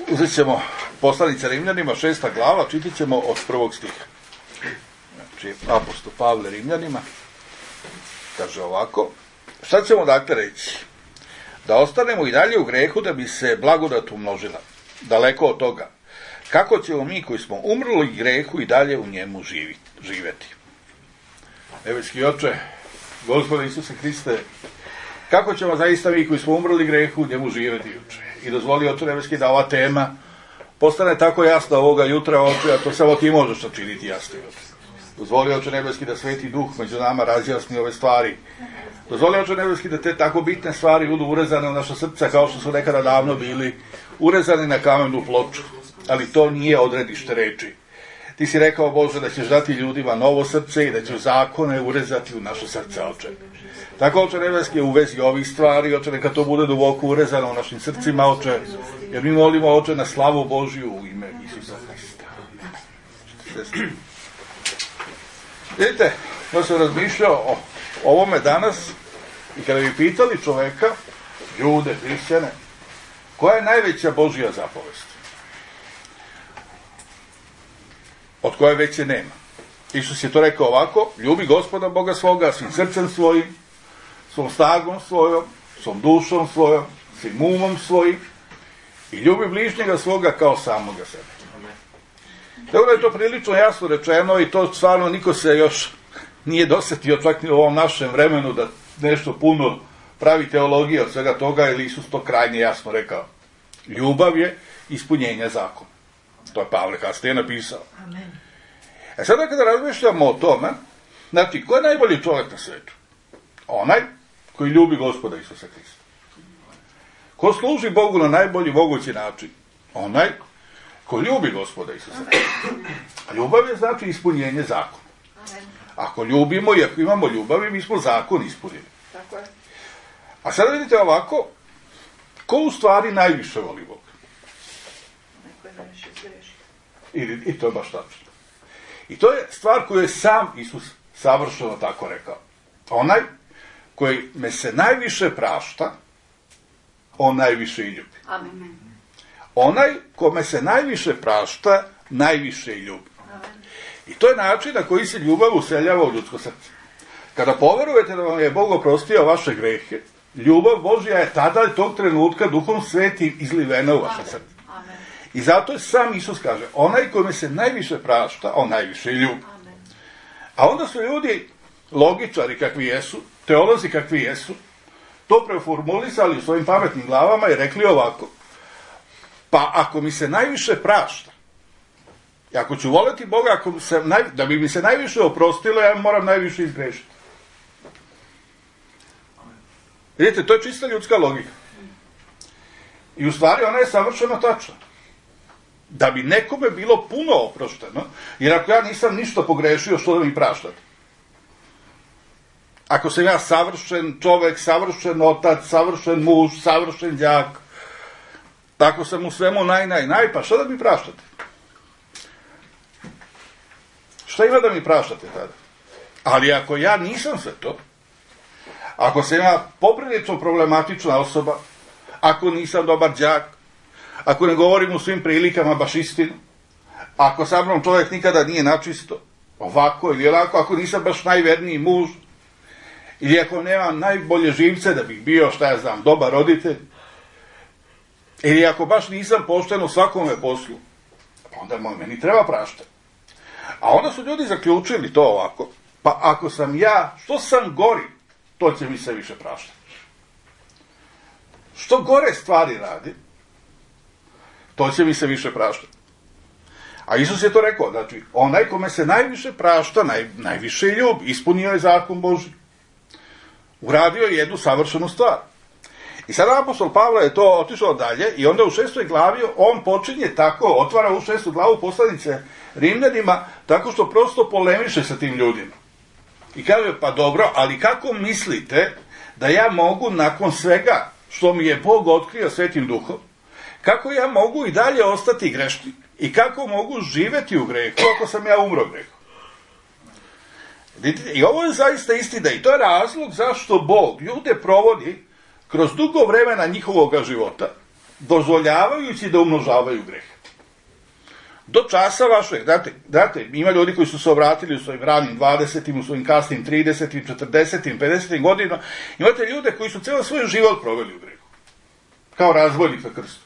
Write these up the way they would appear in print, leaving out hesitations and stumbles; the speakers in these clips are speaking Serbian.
Uzet ćemo Poslanica Rimljanima, 6. glava, čitat ćemo od 1. stiha. Znači, apostol Pavle Rimljanima kaže ovako. Šta ćemo dakle reći? Da ostanemo i dalje u grehu da bi se blagodat umnožila. Daleko od toga. Kako ćemo mi koji smo umrli grehu i dalje u njemu živjeti? Nebeski Oče, Gospode Isuse Hriste, kako ćemo zaista mi koji smo umrli grehu u njemu živjeti, Oče? I dozvoli, Oče Nebeski, da ova tema postane tako jasna ovoga jutra, Oče, a to samo ti možeš načiniti jasno, Oče. Dozvoli, Oče Nebeski, da Sveti Duh među nama razjasni ove stvari. Dozvoli, Oče Nebeski, da te tako bitne stvari budu urezane u naša srca kao što su nekada davno bili urezani na kamenu ploču. Ali to nije odredište reči. Ti si rekao, Bože, da ćeš dati ljudima novo srce i da ćeš zakone urezati u naše srce, Oče. Tako, Oče Nebeski, u vezi ovih stvari, Oče, neka to bude duboko urezano u našim srcima, Oče, jer mi molimo, Oče, na slavu Božju u ime Isusa Hrista. Vidite, ja sam razmišljao o ovome danas i kada bi pitali čoveka, ljude, hrišćane, koja je najveća Božja zapovest? Od koje veće nema. Isus je to rekao ovako: ljubi Gospoda Boga svoga svim srcem svojim, svom snagom svojom, svom dušom svojom, svim umom svojim i ljubi bližnjega svoga kao samoga sebe. Tako da je to prilično jasno rečeno i to stvarno niko se još nije dosetio čak ni u ovom našem vremenu da nešto puno pravi teologije od svega toga, jer Isus to krajnje jasno rekao. Ljubav je ispunjenje zakona. To je Pavle kasnije napisao. Amen. Sada kada razmišljamo o tome, znači, ko je najbolji čovjek na svijetu? Onaj koji ljubi Gospoda Isusa Hrista. Ko služi Bogu na najbolji mogući način? Onaj ko ljubi Gospoda Isusa Hrista. Ljubav je znači ispunjenje zakona. Ako ljubimo i ako imamo ljubavi, mi smo zakon ispunili. Tako je. A sada vidite ovako, ko u stvari najviše voli Boga? Neko je najviše zgrešio. I to je baš tačno. I to je stvar koju je sam Isus savršeno tako rekao. Onaj koji me se najviše prašta, on najviše i ljubi. Amen. Onaj kome se najviše prašta, najviše i ljubi. Amen. I to je način na koji se ljubav useljava u ljudsko srce. Kada poverujete da vam je Bog oprostio vaše grehe, ljubav Božja je tada tog trenutka Duhom Svetim izlivena u vaše srce. Amen. I zato je sam Isus kaže, onaj kome se najviše prašta, on najviše i ljubi. Amen. A onda su ljudi, logičari kakvi jesu, teolozi kakvi jesu, to preformulisali u svojim pametnim glavama i rekli ovako: pa ako mi se najviše prašta, i ako ću voleti Boga, da bi mi se najviše oprostilo, ja moram najviše izgrešiti. Vidite, to je čista ljudska logika. I u stvari ona je savršeno tačna. Da bi nekome bilo puno oprošteno, jer ako ja nisam ništa pogrešio, što da mi praštate? Ako sam ja savršen čovek, savršen otac, savršen muž, savršen đak, tako sam u svemu naj, pa što da mi praštate? Šta ima da mi praštate tada? Ali ako ja nisam sve to, ako sam ja poprilično problematična osoba, ako nisam dobar đak, ako ne govorim u svim prilikama baš istinu, ako sa mnom čovjek nikada nije načisto, ovako ili onako, ako nisam baš najverniji muž, ili ako nemam najbolje živce da bih bio, šta ja znam, dobar roditelj, ili ako baš nisam pošten u svakome poslu, pa onda meni treba praštati. A onda su ljudi zaključili to ovako: pa ako sam ja, što sam gori, to će mi se više praštati. Što gore stvari radi, to će mi se više praštati. A Isus je to rekao, znači, onaj kome se najviše prašta, najviše ljubi, ispunio je zakon Božji. Uradio je jednu savršenu stvar. I sada apostol Pavle je to otišao dalje i onda u 6. glavi on počinje tako, otvara u 6. glavu Poslanice Rimljanima, tako što prosto polemiše sa tim ljudima. I kaže, pa dobro, ali kako mislite da ja mogu nakon svega što mi je Bog otkrio Svetim Duhom, kako ja mogu i dalje ostati grešnik? I kako mogu živeti u grehu ako sam ja umro u grehu? I ovo je zaista istina i to je razlog zašto Bog ljude provodi kroz dugo vremena njihovog života dozvoljavajući da umnožavaju greh. Do časa vašeg, znate, ima ljudi koji su se obratili u svojim ranim 20. u svojim kasnim 30. 40. 50. godinama, imate ljude koji su cijelo svoj život proveli u grehu, kao razbojnik na krstu.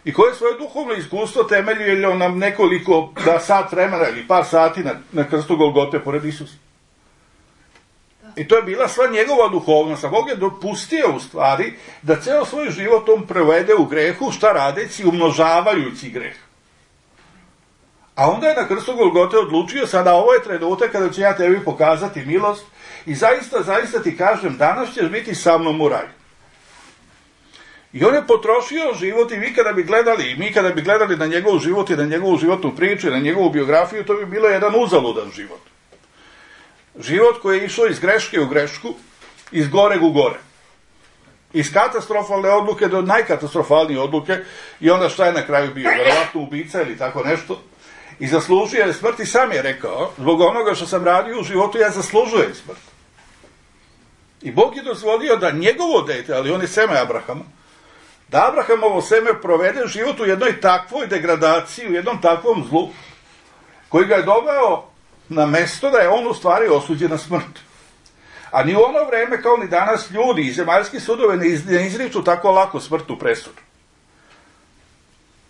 I koje svoje duhovno iskustvo temelju nam nekoliko sat vremena ili par sati na krstu Golgote pored Isusa. I to je bila sva njegova duhovnost, a Bog je dopustio u stvari da ceo svoj život on provede u grehu, šta radeći, umnožavajući greh. A onda je na krstu Golgote odlučio, sada ovo je trenutak kada ću ja tebi pokazati milost i zaista ti kažem, danas ćeš biti sa mnom u raju. I on je potrošio život i mi kada bi gledali na njegov život i na njegovu životnu priču i na njegovu biografiju, to bi bilo jedan uzaludan život. Život koji je išao iz greške u grešku, iz goreg u gore. Iz katastrofalne odluke do najkatastrofalnije odluke i onda šta je na kraju bio? Verovatno ubica ili tako nešto. I zaslužio je smrt i sam je rekao, zbog onoga što sam radio u životu, ja zaslužujem smrt. I Bog je dozvolio da njegovo dete, ali on je seme Abrahama, da Abrahamovo seme provede život u jednoj takvoj degradaciji, u jednom takvom zlu, koji ga je doveo na mesto da je on u stvari osuđen na smrt. A ni u ono vreme, kao ni danas, ljudi i zemaljski sudove ne izriču tako lako smrtnu presudu.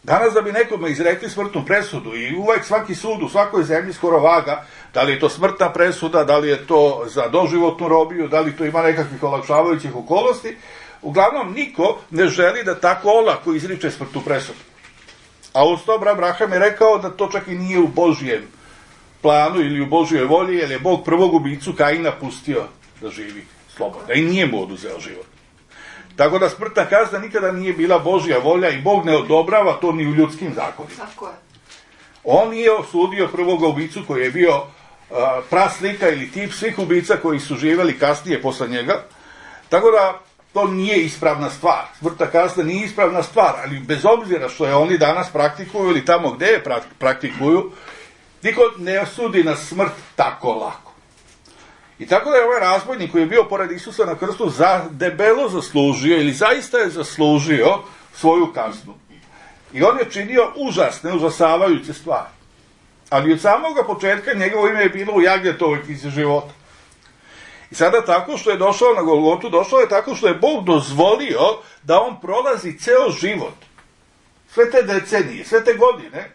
Danas da bi nekome izrekli smrtnu presudu i uvek svaki sud u svakoj zemlji skoro vaga, da li je to smrtna presuda, da li je to za doživotnu robiju, da li to ima nekakvih olakšavajućih okolnosti, uglavnom niko ne želi da tako olako izriče smrtnu presudu. A uz to Abraham je rekao da to čak i nije u Božijem planu ili u Božjoj volji, jer je Bog prvog ubicu Kaina pustio da živi slobodno i nije mu oduzeo život. Tako da smrtna kazna nikada nije bila Božja volja i Bog ne odobrava to ni u ljudskim zakonima. On nije osudio prvog ubicu koji je bio praslika ili tip svih ubica koji su živeli kasnije posle njega. Tako da to nije ispravna stvar. Smrtna kazna nije ispravna stvar, ali bez obzira što je oni danas praktikuju ili tamo gde je praktikuju, niko ne osudi na smrt tako lako. I tako da je ovaj razbojnik koji je bio pored Isusa na krstu debelo zaslužio ili zaista je zaslužio svoju kaznu. I on je činio užasne, užasavajuće stvari. Ali od samoga početka njegovo ime je bilo u Jagnjetovoj knjizi života. I sada tako što je došao na Golgotu, došao je tako što je Bog dozvolio da on prolazi ceo život. Sve te decenije, sve te godine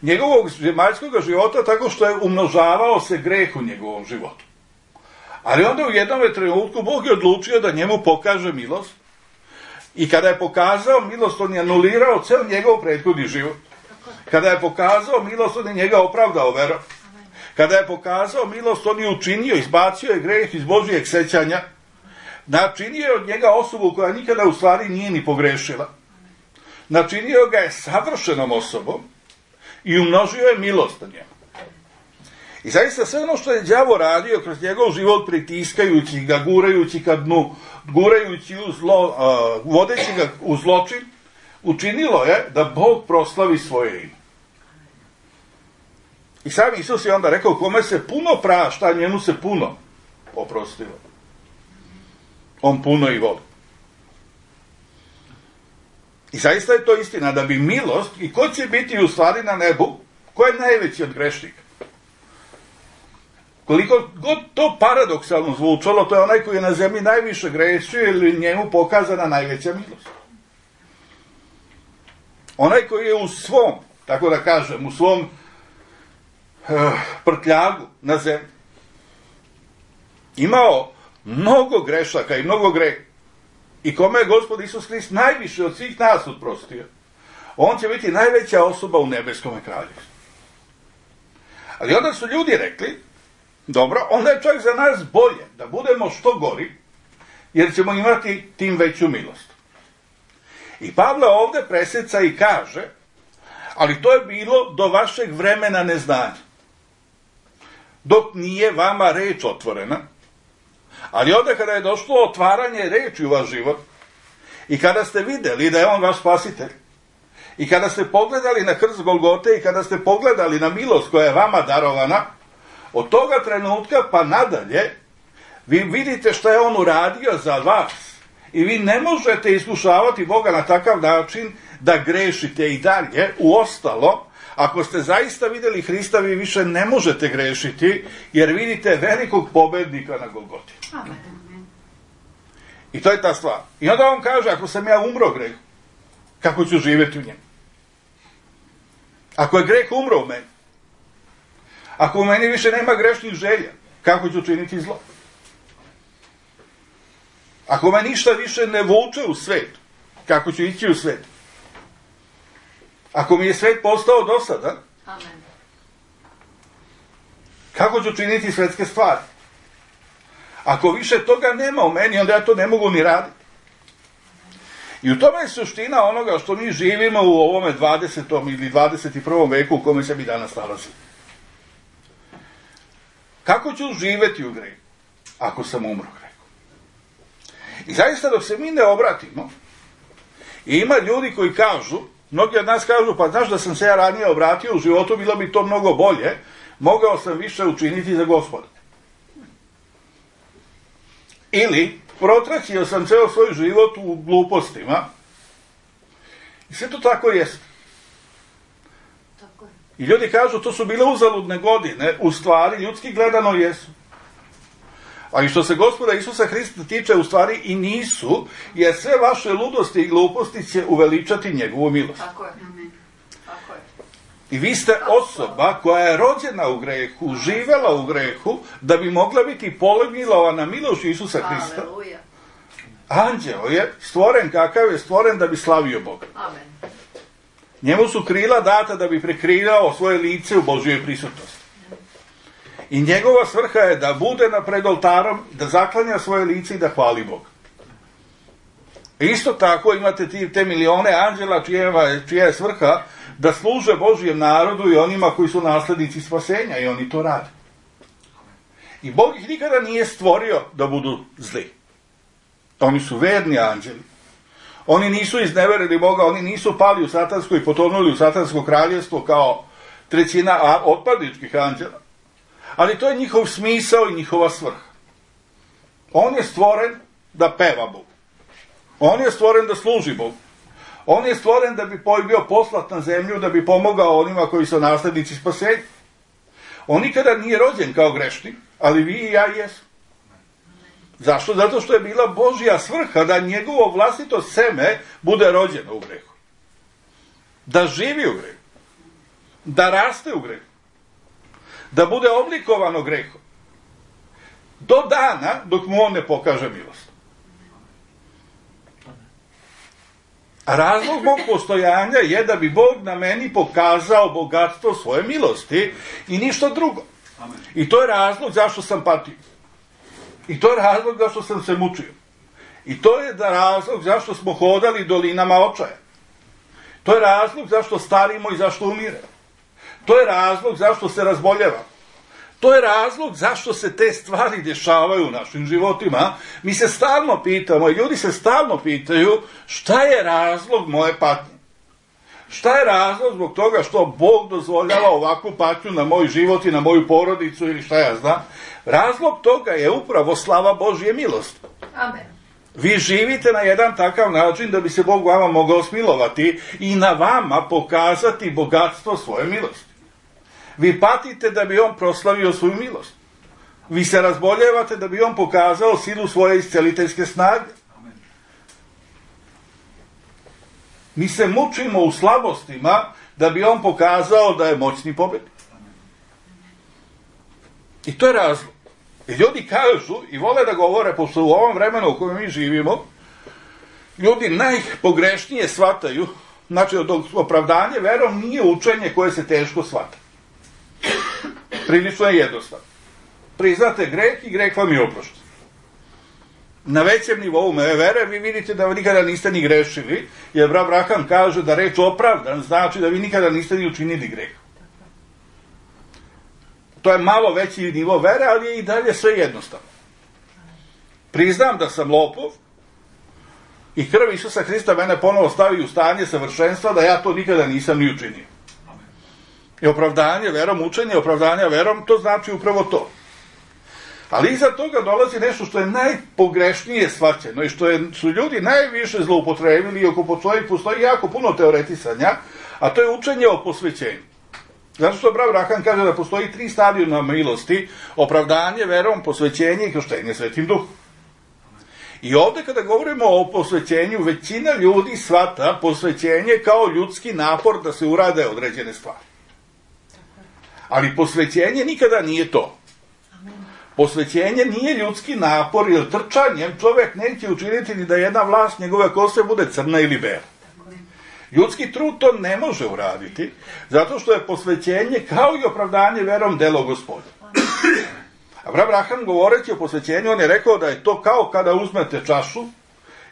njegovog zemaljskog života tako što je umnožavao se greh u njegovom životu. Ali onda u jednom trenutku Bog je odlučio da njemu pokaže milost i kada je pokazao milost, on je anulirao ceo njegov prethodni život. Kada je pokazao milost, on je njega opravdao verom. Kada je pokazao milost, on je učinio, izbacio je greh iz Božijeg sećanja, načinio je od njega osobu koja nikada u stvari nije ni pogrešila. Načinio ga je savršenom osobom i umnožio je milost na njemu. I zaista sve ono što je đavo radio kroz njegov život, pritiskajući ga, gurajući ka dnu, gurajući u zlo, vodeći ga u zločin, učinilo je da Bog proslavi svoje ime. I sam Isus je onda rekao, kome se puno prašta, njemu se puno oprostilo. On puno i voli. I zaista je to istina, da bi milost, i ko će biti u stvari na nebu, ko je najveći od grešnika? Koliko god to paradoksalno zvučalo, to je onaj koji je na zemlji najviše grešio ili njemu pokazana najveća milost. Onaj koji je u svom, tako da kažem, u svom prtljagu na zemlji imao mnogo grešaka i mnogo greha i kome je Gospod Isus Hrist najviše od svih nas oprostio, on će biti najveća osoba u nebeskom kraljevstvu. Ali onda su ljudi rekli, dobro, onda je čak za nas bolje da budemo što gori, jer ćemo imati tim veću milost. I Pavle ovde preseca i kaže, ali to je bilo do vašeg vremena neznanja, dok nije vama reč otvorena, ali onda kada je došlo otvaranje reči u vaš život i kada ste videli da je on vaš spasitelj i kada ste pogledali na krst Golgote i kada ste pogledali na milost koja je vama darovana, od toga trenutka pa nadalje vi vidite šta je on uradio za vas I vi ne možete iskušavati Boga na takav način da grešite i dalje. Uostalo, ako ste zaista vidjeli Hrista, vi više ne možete grešiti, jer vidite velikog pobednika na Golgoti. Amen. I to je ta stvar. I onda on kaže, ako sam ja umro greh, kako ću živjeti u njemu? Ako je greh umro u meni, ako u meni više nema grešnih želja, kako ću činiti zlo? Ako me ništa više ne vuče u svet, kako ću ići u svet? Ako mi je svet postao dosadan, Amen. kako ću činiti svetske stvari? Ako više toga nema u meni, onda ja to ne mogu ni raditi. I u tome je suština onoga što mi živimo u ovome 20. ili 21. veku u kome se mi danas nalazimo. Kako ću živjeti u grehu ako sam umro u grehu? I zaista dok se mi ne obratimo, i ima ljudi koji kažu, mnogi od nas kažu, pa znaš da sam se ja ranije obratio u životu, bilo bi to mnogo bolje, mogao sam više učiniti za Gospoda. Ili, protraćio sam ceo svoj život u glupostima, i sve to tako jest. I ljudi kažu, to su bile uzaludne godine, u stvari, ljudski gledano jesu. Ali što se Gospoda Isusa Hrista tiče, u stvari i nisu, jer sve vaše ludosti i gluposti će uveličati njegovu milost. Tako je. Tako je. I vi ste osoba koja je rođena u grehu, živela u grehu, da bi mogla biti pomilovana milošću Isusa Hrista. Aleluja. Anđeo je stvoren kakav je stvoren da bi slavio Boga. Amen. Njemu su krila data da bi prekrivao svoje lice u Božjoj prisutnosti. I njegova svrha je da bude pred oltarom, da zaklanja svoje lice i da hvali Boga. Isto tako imate te milione anđela čija je svrha da služe Božjem narodu i onima koji su naslednici spasenja, i oni to rade. I Bog ih nikada nije stvorio da budu zli. Oni su verni anđeli. Oni nisu izneverili Boga, oni nisu pali u satansko i potonuli u satansko kraljevstvo kao trećina otpadničkih anđela. Ali to je njihov smisao i njihova svrha. On je stvoren da peva Bogu. On je stvoren da služi Bogu. On je stvoren da bi bio poslat na zemlju, da bi pomogao onima koji su naslednici spasenja. On nikada nije rođen kao grešnik, ali vi i ja jesu. Zašto? Zato što je bila Božja svrha da njegovo vlastito seme bude rođeno u grehu. Da živi u grehu. Da raste u grehu. Da bude oblikovano grehom. Do dana dok mu on ne pokaže milost. A razlog mog postojanja je da bi Bog na meni pokazao bogatstvo svoje milosti i ništa drugo. I to je razlog zašto sam patio. I to je razlog zašto sam se mučio. I to je razlog zašto smo hodali dolinama očaja. To je razlog zašto starimo i zašto umiremo. To je razlog zašto se razboljevamo. To je razlog zašto se te stvari dešavaju u našim životima. Mi se stalno pitamo, i ljudi se stalno pitaju, šta je razlog moje patnje? Šta je razlog zbog toga što Bog dozvoljava ovakvu patnju na moj život i na moju porodicu ili šta ja znam? Razlog toga je upravo slava Božje milosti. Amen. Vi živite na jedan takav način da bi se Bog vama mogao smilovati i na vama pokazati bogatstvo svoje milosti. Vi patite da bi on proslavio svoju milost. Vi se razboljevate da bi on pokazao silu svoje isceliteljske snage. Mi se mučimo u slabostima da bi on pokazao da je moćni pobednik. I to je razlog. I ljudi kažu i vole da govore, pošto u ovom vremenu u kojem mi živimo, ljudi najpogrešnije shvataju, znači opravdanje verom nije učenje koje se teško shvata. Prilično je jednostavno. Priznate greh i greh vam je oprošten. Na većem nivou vere vi vidite da nikada niste ni grešili, jer Abraham kaže da reč opravdan znači da vi nikada niste ni učinili greh. To je malo veći nivo vere, ali je i dalje sve jednostavno. Priznam da sam lopov i krv Isusa Hrista mene ponovo stavi u stanje savršenstva, da ja to nikada nisam ni učinio. I opravdanje verom, učenje opravdanja verom, to znači upravo to. Ali iza toga dolazi nešto što je najpogrešnije shvaćeno i što su ljudi najviše zloupotrebili i oko postoji jako puno teoretisanja, a to je učenje o posvećenju. Zato što Brat Branham kaže da postoji 3 stadijuma milosti: opravdanje verom, posvećenje i krštenje Svetim Duhom. I ovdje kada govorimo o posvećenju, većina ljudi shvata posvećenje kao ljudski napor da se urade određene stvari. Ali posvećenje nikada nije to. Posvećenje nije ljudski napor, jer trčanjem čovjek neće učiniti ni da jedna vlast njegove kose bude crna ili bela. Ljudski trud to ne može uraditi, zato što je posvećenje kao i opravdanje verom delo Gospoda. A Brat Branham govoreći o posvećenju, on je rekao da je to kao kada uzmete čašu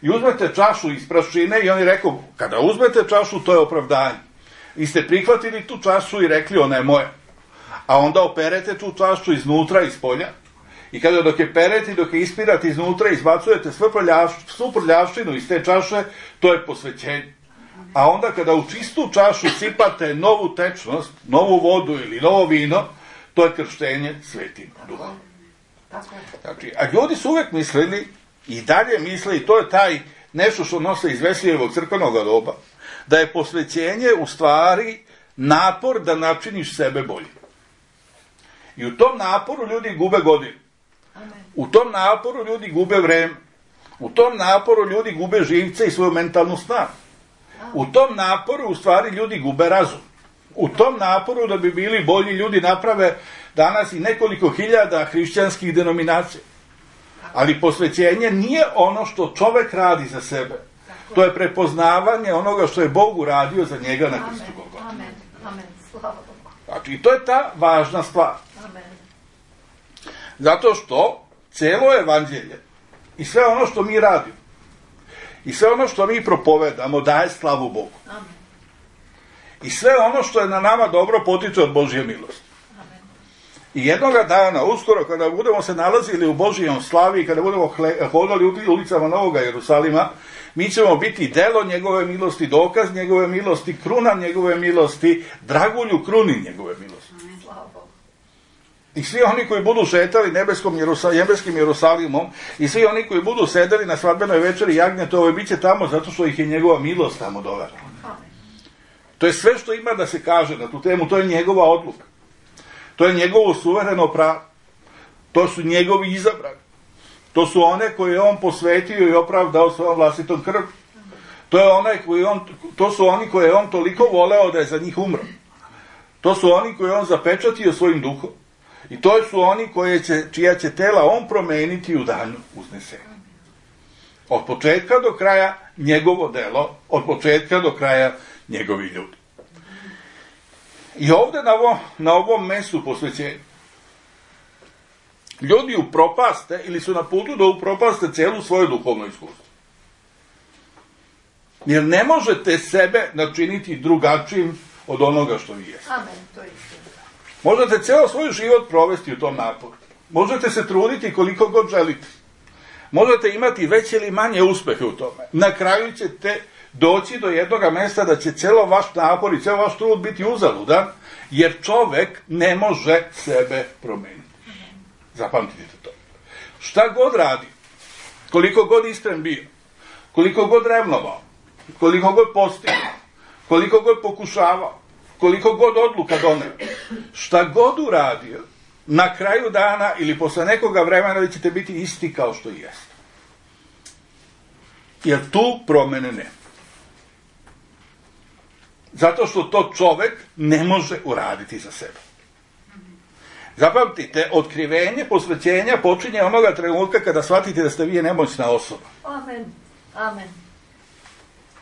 i uzmete čašu iz prašine i on je rekao, kada uzmete čašu, to je opravdanje. Vi ste prihvatili tu čašu i rekli, ona je moja. A onda operete tu čašu iznutra, iz polja. I kada dok je perete i dok je ispirate iznutra, izbacujete svu prljavštinu iz te čaše, to je posvećenje. A onda kada u čistu čašu sipate novu tečnost, novu vodu ili novo vino, to je krštenje Svetim Duhom. Znači, a ljudi su uvek mislili i dalje misle, i to je taj nešto što nose iz Veslijevog crkvenog doba, da je posvećenje u stvari napor da načiniš sebe bolje. I u tom naporu ljudi gube godine. U tom naporu ljudi gube vreme. U tom naporu ljudi gube živce i svoju mentalnu snagu. U tom naporu u stvari ljudi gube razum. U tom naporu da bi bili bolji ljudi naprave danas i nekoliko hiljada hrišćanskih denominacija. Ali posvećenje nije ono što čovek radi za sebe. To je prepoznavanje onoga što je Bog uradio za njega na krstu Golgote. Amen. Slava Bogu. Znači, i to je ta važna stvar. Amen. Zato što celo evanđelje i sve ono što mi radimo i sve ono što mi propovedamo daje slavu Bogu. Amen. I sve ono što je na nama dobro potiče od Božje milosti. Amen. I jednoga dana, uskoro, kada budemo se nalazili u Božijom slavi i kada budemo hodali ulicama Novoga Jerusalima, mi ćemo biti delo njegove milosti, dokaz njegove milosti, kruna njegove milosti, dragulju kruni njegove milosti. Amen. Slava Bogu. I svi oni koji budu šetali nebeskim Jerusalimom i svi oni koji budu sedeli na svadbenoj večeri jagnjetove, bit će tamo zato što ih je njegova milost tamo dovela. Amen. To je sve što ima da se kaže na tu temu, to je njegova odluka. To je njegovo suvereno pravo. To su njegovi izabrani. To su one koje je on posvetio i opravdao svojom vlastitom krvlju. To su oni koje je on toliko voleo da je za njih umro. To su oni koje je on zapečatio svojim duhom. I to su oni čija će tela on promeniti u danu uznesenja. Od početka do kraja njegovo delo, od početka do kraja njegovi ljudi. I ovdje na ovom mestu posvećenja ljudi upropaste ili su na putu da upropaste celu svoje duhovno iskustvo. Jer ne možete sebe načiniti drugačijim od onoga što vi jeste. Amen, to je istina. Možete ceo svoj život provesti u tom naporu. Možete se truditi koliko god želite. Možete imati veće ili manje uspehe u tome. Na kraju ćete doći do jednog mjesta da će celo vaš napor i ceo vaš trud biti uzaludan, jer čovek ne može sebe promeniti. Zapamtite to. Šta god radi, koliko god iskren bio, koliko god revnovao, koliko god postigao, koliko god pokušavao, koliko god odluka doneo, šta god uradio, na kraju dana ili posle nekoga vremena vi ćete biti isti kao što i jeste. Jer tu promene nema. Zato što to čovek ne može uraditi za sebe. Zapamtite, otkrivenje posvećenja počinje onoga trenutka kada shvatite da ste vi nemoćna osoba. Amen. Amen.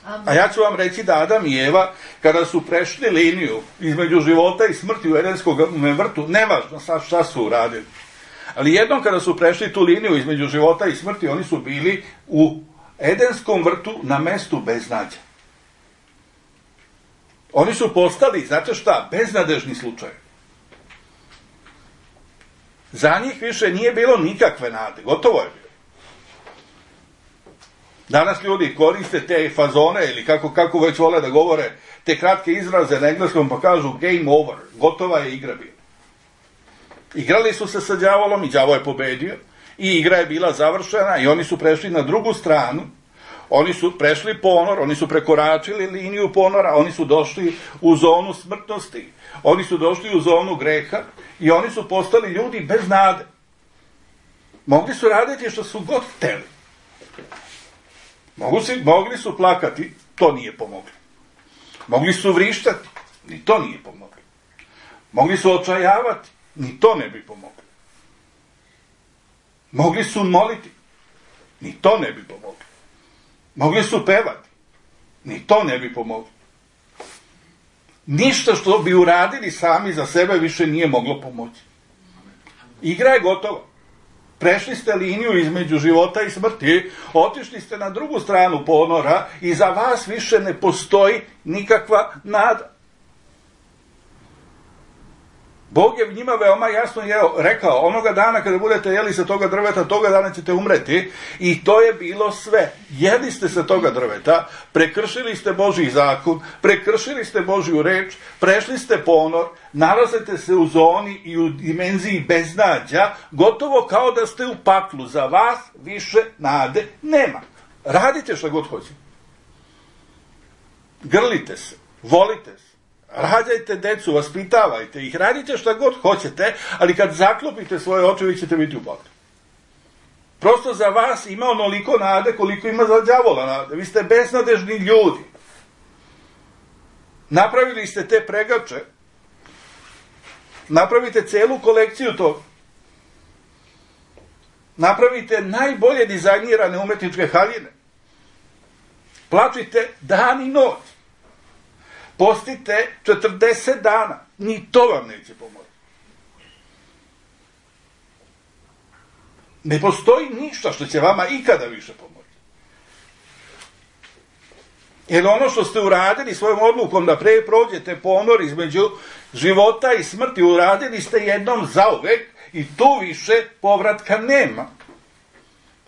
Amen. A ja ću vam reći da Adam i Eva, kada su prešli liniju između života i smrti u Edenskom vrtu, nevažno sad šta su uradili, ali jednom kada su prešli tu liniju između života i smrti, oni su bili u Edenskom vrtu na mestu beznađa. Oni su postali, znate šta, beznadežni slučaj. Za njih više nije bilo nikakve nade, gotovo je bilo. Danas ljudi koriste te fazone ili kako već vole da govore, te kratke izraze na engleskom pa kažu game over, gotova je igra bila. Igrali su se sa đavolom i đavo je pobedio i igra je bila završena i oni su prešli na drugu stranu. Oni su prešli ponor, oni su prekoračili liniju ponora, oni su došli u zonu smrtnosti, oni su došli u zonu greha i oni su postali ljudi bez nade. Mogli su raditi što su god hteli. Mogli su plakati, to nije pomoglo. Mogli su vrištati, ni to nije pomoglo. Mogli su očajavati, ni to ne bi pomoglo. Mogli su moliti, ni to ne bi pomoglo. Mogli su pevati, ni to ne bi pomoglo. Ništa što bi uradili sami za sebe više nije moglo pomoći. Igra je gotova. Prešli ste liniju između života i smrti, otišli ste na drugu stranu ponora i za vas više ne postoji nikakva nada. Bog je njima veoma jasno rekao, onoga dana kada budete jeli sa toga drveta, toga dana ćete umreti, i to je bilo sve. Jeli ste sa toga drveta, prekršili ste Božji zakon, prekršili ste Božju reč, prešli ste ponor, nalazite se u zoni i u dimenziji beznađa, gotovo kao da ste u paklu. Za vas više nade nema. Radite što god hoćete. Grlite se, volite se. Rađajte decu, vaspitavajte ih, radite šta god hoćete, ali kad zaklopite svoje oči, vi ćete biti u baklu. Prosto za vas ima onoliko nade koliko ima za đavola nade. Vi ste beznadežni ljudi. Napravili ste te pregače, napravite celu kolekciju toga. Napravite najbolje dizajnirane umetničke haljine. Plačite dan i noć. Postite 40 dana, ni to vam neće pomoći. Ne postoji ništa što će vama ikada više pomoći. Jer ono što ste uradili svojom odlukom da pre prođete ponor između života i smrti, uradili ste jednom zauvek i tu više povratka nema.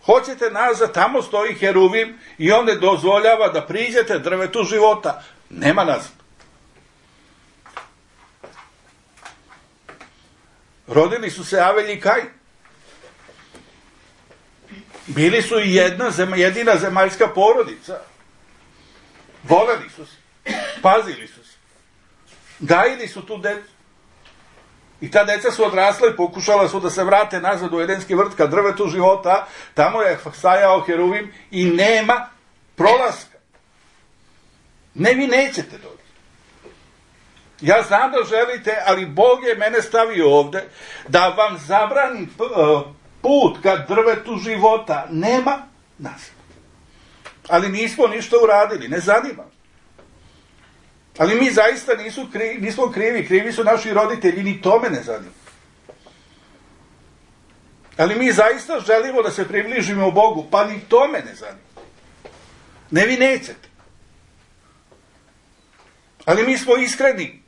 Hoćete nazad, tamo stoji heruvim i on ne dozvoljava da priđete drvetu života. Nema nazad. Rodili su se Avelj i Kajin. Bili su i jedina zemaljska porodica. Voleli su se. Pazili su se. Gajili su tu decu. I ta deca su odrasla i pokušala su da se vrate nazad u Edenski vrt ka drvetu života. Tamo je stajao heruvim i nema prolaska. Ne, vi nećete doći. Ja znam da želite, ali Bog je mene stavio ovde da vam zabrani put ka drvetu života. Nema nas. Ali nismo ništa uradili, ne zanima. Ali mi zaista nismo krivi, krivi su naši roditelji, ni to me ne zanima. Ali mi zaista želimo da se približimo Bogu, pa ni to me ne zanima. Ne, vi nećete. Ali mi smo iskreni.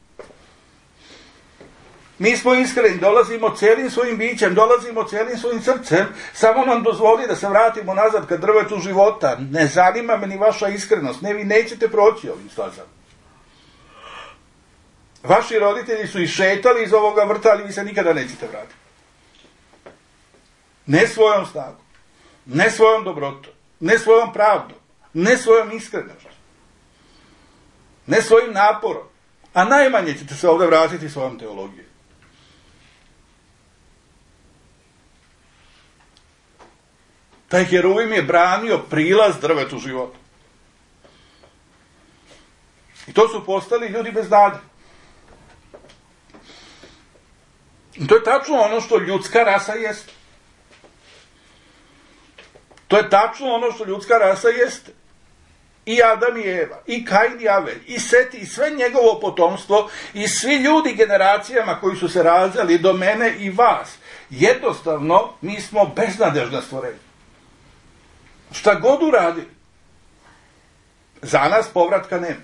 Mi smo iskreni, dolazimo celim svojim bićem, dolazimo celim svojim srcem, samo nam dozvoli da se vratimo nazad ka drvetu života. Ne zanima me ni vaša iskrenost, ne, vi nećete proći ovim stazama. Vaši roditelji su išetali iz ovoga vrta, ali vi se nikada nećete vratiti. Ne svojom snagom, ne svojom dobrotom, ne svojom pravdom, ne svojom iskrenošću, ne svojim naporom, a najmanje ćete se ovdje vratiti svojom teologijom. Taj heruvim je branio prilaz drvetu života. I to su postali ljudi bez nade. I to je tačno ono što ljudska rasa jeste. To je tačno ono što ljudska rasa jeste. I Adam i Eva, i Kajin i Avelj, i Set, i sve njegovo potomstvo, i svi ljudi generacijama koji su se rađali do mene i vas. Jednostavno, mi smo beznadežna stvorenja. Šta god uradili, za nas povratka nema.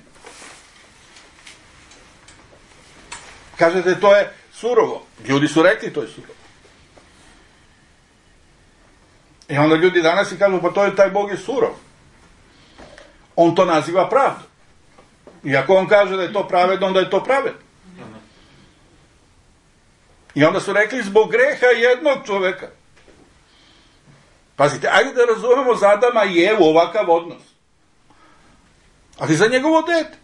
Kažete, to je surovo. Ljudi su rekli, to je surovo. I onda ljudi danas i kažu, pa taj Bog je surov. On to naziva pravdom. I ako on kaže da je to pravedno, onda je to pravedno. I onda su rekli zbog greha jednog čoveka. Pazite, ajde da razumemo za Adama i Evu ovakav odnos. Ali za njegovo dete.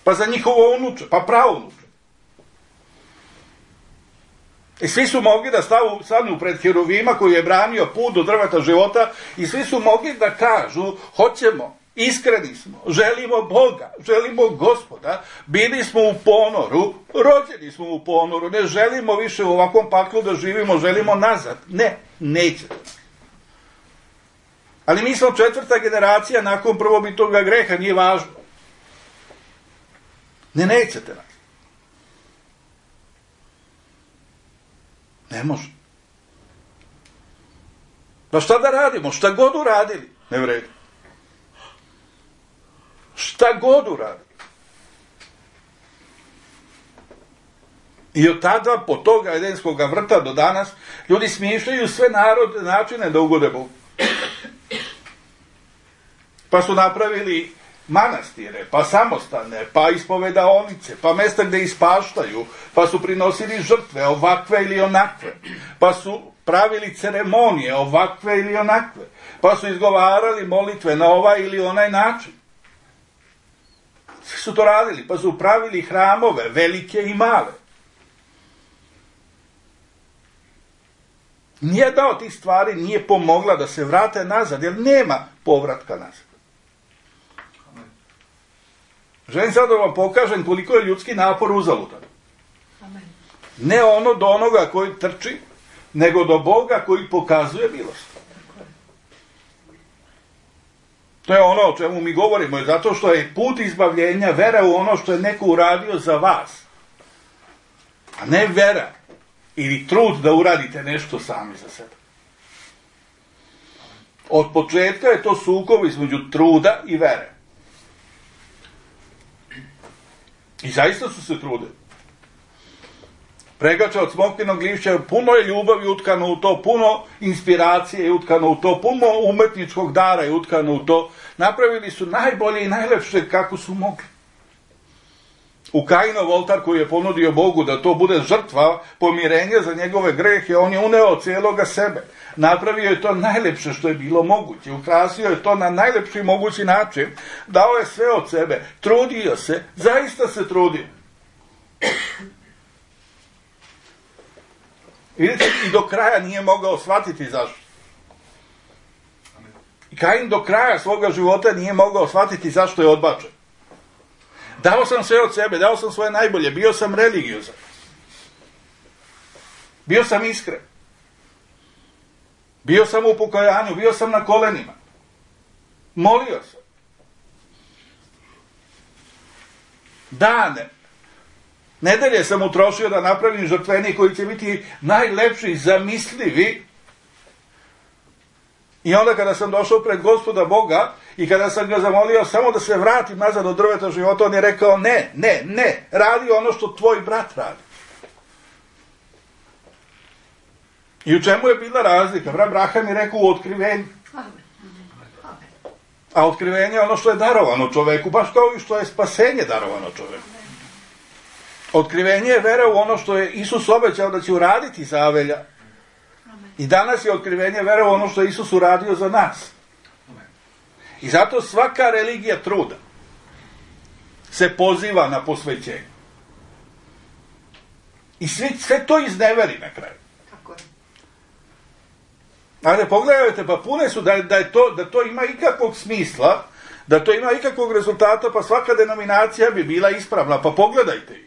Pa za njihovo unuče, pa praunuče. I svi su mogli da stanu pred Heruvima koji je branio put do drveta života i svi su mogli da kažu, hoćemo, iskreni smo, želimo Boga, želimo Gospoda, bili smo u ponoru, rođeni smo u ponoru, ne želimo više u ovakvom paklu da živimo, želimo nazad. Ne, nećete. Ali mi smo 4. generacija nakon prvobitnoga greha, nije važno. Ne, nećete nas. Ne može. Pa šta da radimo? Šta god uradili, ne vredi. Šta god uradili. I od tada, po toga Edenskog vrta do danas, ljudi smišljaju sve načine da ugode Bogu. Pa su napravili manastire, pa samostane, pa ispovedaonice, pa mesta gde ispaštaju, pa su prinosili žrtve ovakve ili onakve, pa su pravili ceremonije ovakve ili onakve, pa su izgovarali molitve na ovaj ili onaj način. Svi su to radili, pa su pravili hramove, velike i male. Nijedna od tih stvari nije pomogla da se vrate nazad, jer nema povratka nazad. Želim sad da vam pokažem koliko je ljudski napor uzaludan. Ne ono do onoga koji trči, nego do Boga koji pokazuje milost. To je ono o čemu mi govorimo, zato što je put izbavljenja vera u ono što je neko uradio za vas. A ne vera ili trud da uradite nešto sami za sebe. Od početka je to sukob između truda i vere. I zaista su se trudili. Pregača od smokvinog lišća, puno je ljubavi utkano u to, puno inspiracije je utkano u to, puno umetničkog dara je utkano u to. Napravili su najbolje i najlepše kako su mogli. U Kainov oltar koji je ponudio Bogu da to bude žrtva pomirenja za njegove grehe, on je uneo cijeloga sebe. Napravio je to najlepše što je bilo moguće. Ukrasio je to na najlepši mogući način. Dao je sve od sebe. Trudio se. Zaista se trudio. Vidite, i do kraja nije mogao shvatiti zašto. I Kain do kraja svoga života nije mogao shvatiti zašto je odbačen. Dao sam sve od sebe, dao sam svoje najbolje, bio sam religiozan. Bio sam iskren. Bio sam u pokajanju, bio sam na kolenima. Molio sam. Dane, nedelje sam utrošio da napravim žrtvenik koji će biti najlepši, zamislivi. I onda kada sam došao pred Gospoda Boga i kada sam ga zamolio samo da se vratim nazad od drveta života, on je rekao ne, radi ono što tvoj brat radi. I u čemu je bila razlika? Abraham je rekao u otkrivenju. A otkrivenje je ono što je darovano čoveku, baš kao i što je spasenje darovano čoveku. Otkrivenje je vera u ono što je Isus obećao da će uraditi za Avelja. I danas je otkrivenje vera u ono što je Isus uradio za nas. I zato svaka religija truda se poziva na posvećenje. I sve to izneveri na kraju. Ali pogledajte, pa pune su da to ima ikakvog smisla, da to ima ikakvog rezultata, pa svaka denominacija bi bila ispravna. Pa pogledajte ih.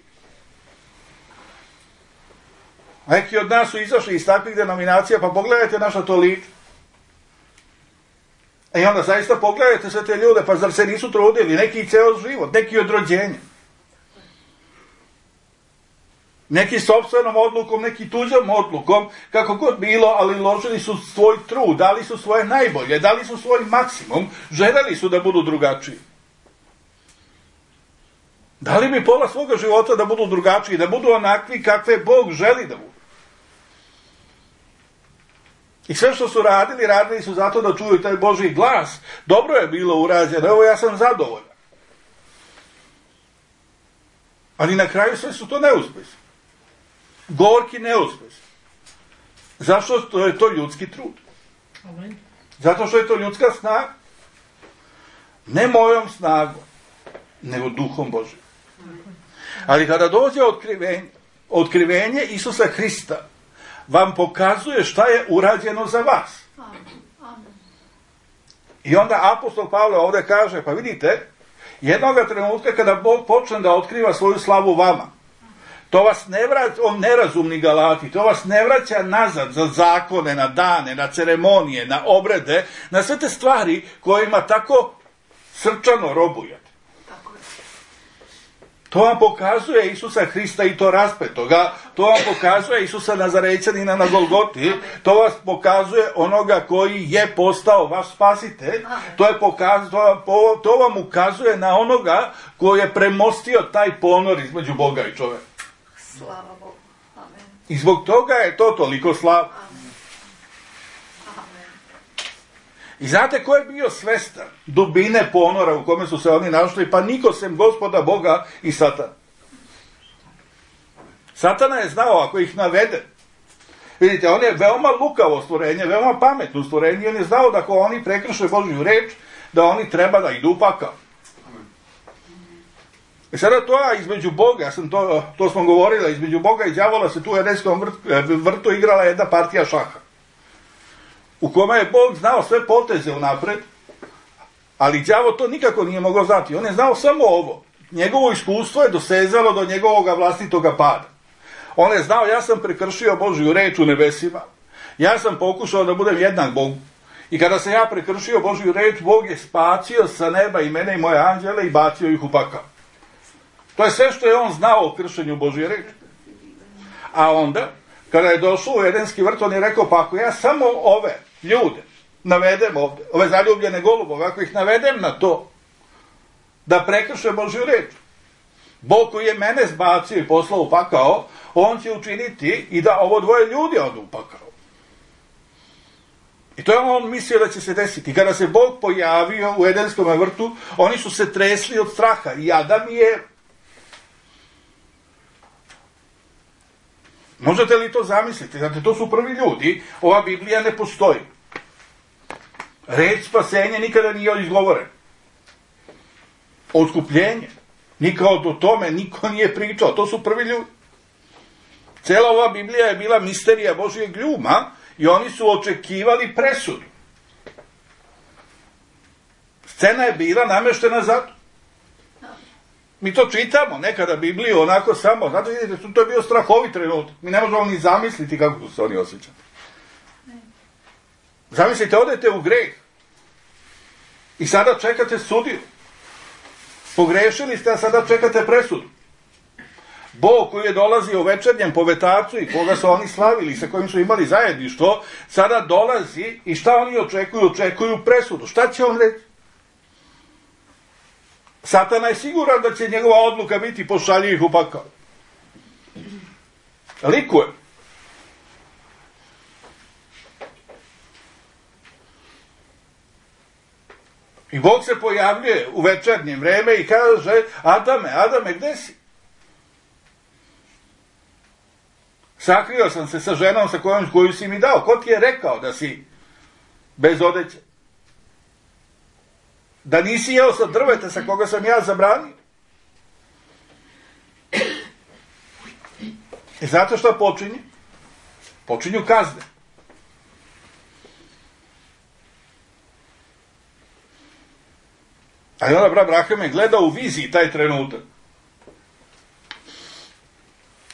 Neki od nas su izašli iz takvih denominacija, pa pogledajte naša to lice. I onda zaista pogledajte sve te ljude, pa zar se nisu trudili, neki i ceo život, neki od rođenja. Neki sopstvenom odlukom, neki tuđom odlukom, kako god bilo, ali ložili su svoj trud, dali su svoje najbolje, dali su svoj maksimum, željeli su da budu drugačiji. Dali bi pola svoga života da budu drugačiji, da budu onakvi kakve Bog želi da budu. I sve što su radili su zato da čuju taj Božji glas. Dobro je bilo urađeno, evo ja sam zadovoljan. Ali na kraju sve su to neuspjesi. gorki neuspeh. Zašto? To je to ljudski trud. Amen. Zato što je to ljudska snaga. Ne mojom snagom, nego duhom Božim. Ali kada dođe otkrivenje Isusa Hrista, vam pokazuje šta je urađeno za vas. I onda apostol Pavle ovdje kaže, pa vidite, jednoga trenutka kada Bog počne da otkriva svoju slavu vama, to vas ne vraća, on nerazumni Galati, to vas ne vraća nazad za zakone, na dane, na ceremonije, na obrede, na sve te stvari kojima tako srčano robujete. To vam pokazuje Isusa Hrista i to raspetoga, to vam pokazuje Isusa Nazarećanina na Golgoti, to vas pokazuje onoga koji je postao vaš spasitelj, to vam ukazuje na onoga koji je premostio taj ponor između Boga i čoveka. Slava Bogu. Amen. I zbog toga je to toliko slavno. Amen. I znate ko je bio svestan dubine ponora u kome su se oni našli? Pa niko sem Gospoda Boga i Satana. Satana je znao ako ih navede. Vidite, on je veoma lukavo stvorenje, veoma pametno stvorenje i on je znao da ako oni prekrše Božju reč, da oni treba da idu u pakao. I sada to između Boga, to smo govorili, između Boga i đavola se tu u Edenskom vrtu igrala jedna partija šaha. U kome je Bog znao sve poteze unapred, ali đavo to nikako nije mogao znati. On je znao samo ovo. Njegovo iskustvo je dosezalo do njegovoga vlastitoga pada. On je znao, ja sam prekršio Božju reč u nebesima. Ja sam pokušao da budem jednak Bogu. I kada sam ja prekršio Božju reč, Bog je spacio sa neba i mene i moje anđele i bacio ih u pakao. To je sve što je on znao o kršenju Božje reči. A onda, kada je došao u Edenski vrt, on je rekao, pa ako ja samo ove ljude navedem ovde, ove zaljubljene golubove, ako ih navedem na to, da prekrše Božju reč, Bog koji je mene zbacio i poslao u pakao, on će učiniti i da ovo dvoje ljudi odu u pakao. I to je on mislio da će se desiti. Kada se Bog pojavio u Edenskom vrtu, oni su se tresli od straha. I Adam je... Možete li to zamisliti? Znate, to su prvi ljudi. Ova Biblija ne postoji. Reč spasenje nikada nije izgovoren. Otkupljenje. Nikao o tome niko nije pričao. To su prvi ljudi. Cela ova Biblija je bila misterija Božijeg ljuma i oni su očekivali presudu. Scena je bila nameštena zato. Mi to čitamo nekada Bibliju onako samo, znate, vidite, to je bio strahovit trenutak. Mi ne možemo ni zamisliti kako su se oni osjećali. Zamislite, odete u greh i sada čekate sudiju. Pogrešili ste, a sada čekate presudu. Bog koji je dolazio večernjem po vetarcu i koga su oni slavili, sa kojim su imali zajedništvo, sada dolazi i šta oni očekuju? Očekuju presudu. Šta će on reći? Satana je siguran da će njegova odluka biti pošalji ih u pakao. Likuje. I Bog se pojavljuje u večernje vreme i kaže, Adame, gde si? Sakrio sam se sa ženom koju si mi dao. Ko ti je rekao da si bez odeće? Da nisi jeo sa drveta sa koga sam ja zabranio? I zato što počinje? Počinju kazne. A i onda brat Abraham je gledao u viziji taj trenutak.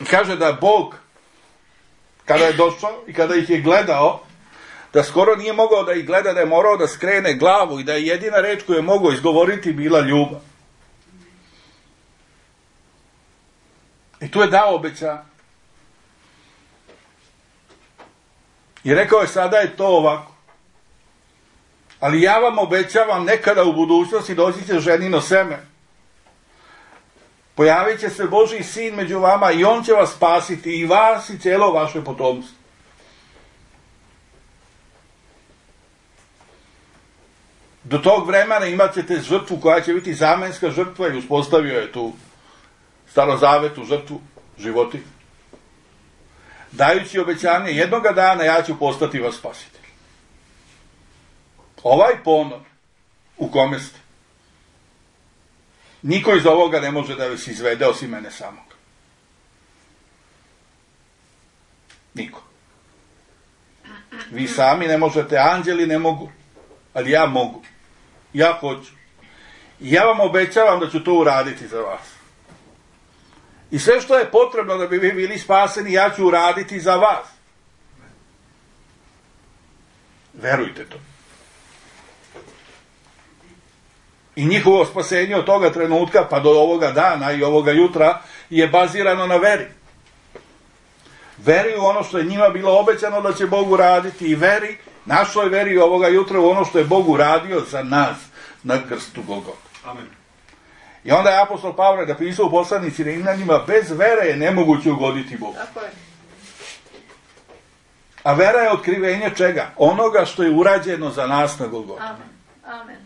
I kaže da Bog, kada je došao i kada ih je gledao, da skoro nije mogao da ih gleda, da je morao da skrene glavu i da je jedina reč koju je mogao izgovoriti bila ljubav. I tu je dao obećanje. I rekao je, sada je to ovako. Ali ja vam obećavam, nekada u budućnosti doći će ženino seme. Pojavit će se Božji sin među vama i on će vas spasiti, i vas i cijelo vaše potomstvo. Do tog vremena imat ćete žrtvu koja će biti zamenska žrtva i uspostavio je tu starozavetnu žrtvu životinja. dajući obećanje jednoga dana ja ću postati vaš spasitelj. Ovaj ponor u kome ste, niko iz ovoga ne može da vas izvede osim mene samog. Niko. Vi sami ne možete, anđeli ne mogu, ali ja mogu. Ja hoću. I ja vam obećavam da ću to uraditi za vas. I sve što je potrebno da bi vi bili spaseni, ja ću uraditi za vas. Verujte to. I njihovo spasenje od toga trenutka pa do ovoga dana i ovoga jutra je bazirano na veri. Veri u ono što je njima bilo obećano da će Bog uraditi i veri, našoj veri ovoga jutra u ono što je Bog uradio za nas na krstu Golgote. Amen. I onda je apostol Pavle napisao u poslanici Rimljanima, bez vere je nemoguće ugoditi Bogu. Tako je. A vera je otkrivenje čega? Onoga što je urađeno za nas na Golgoti. Amen. Amen.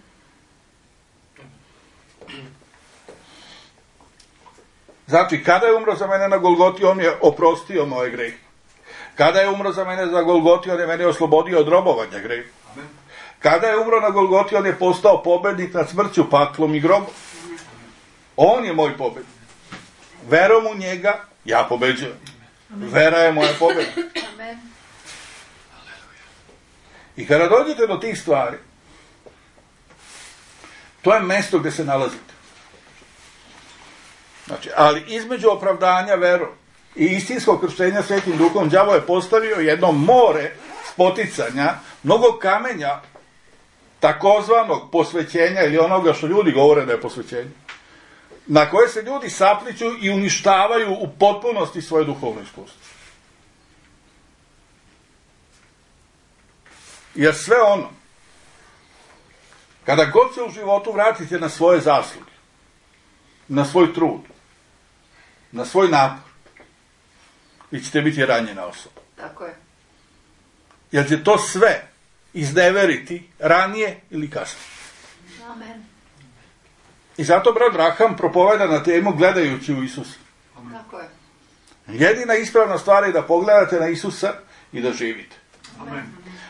Znači, kada je umro za mene na Golgoti, on je oprostio moje grehe. Kada je umro za mene za Golgoti, on je mene oslobodio od robovanja greha. Kada je umro na Golgoti, on je postao pobednik nad smrću, paklom i grobom. On je moj pobednik. Verom u njega, ja pobeđujem. Vera je moja pobeda. Amen. I kada dođete do tih stvari, to je mesto gdje se nalazite. Znači, ali između opravdanja verom i istinskog krštenja Svetim Duhom, đavo je postavio jedno more spoticanja, mnogo kamenja takozvanog posvećenja ili onoga što ljudi govore da je posvećenje, na koje se ljudi sapliću i uništavaju u potpunosti svoje duhovno iskustvo. Jer sve ono, kada god se u životu vratite na svoje zasluge, na svoj trud, na svoj napor, vi ćete biti ranjena osoba. Tako je. Jer će to sve izneveriti ranije ili kasnije. Amen. I zato brat Braham propoveda na temu gledajući u Isusa. Tako je. Jedina ispravna stvar je da pogledate na Isusa i da živite. Amen.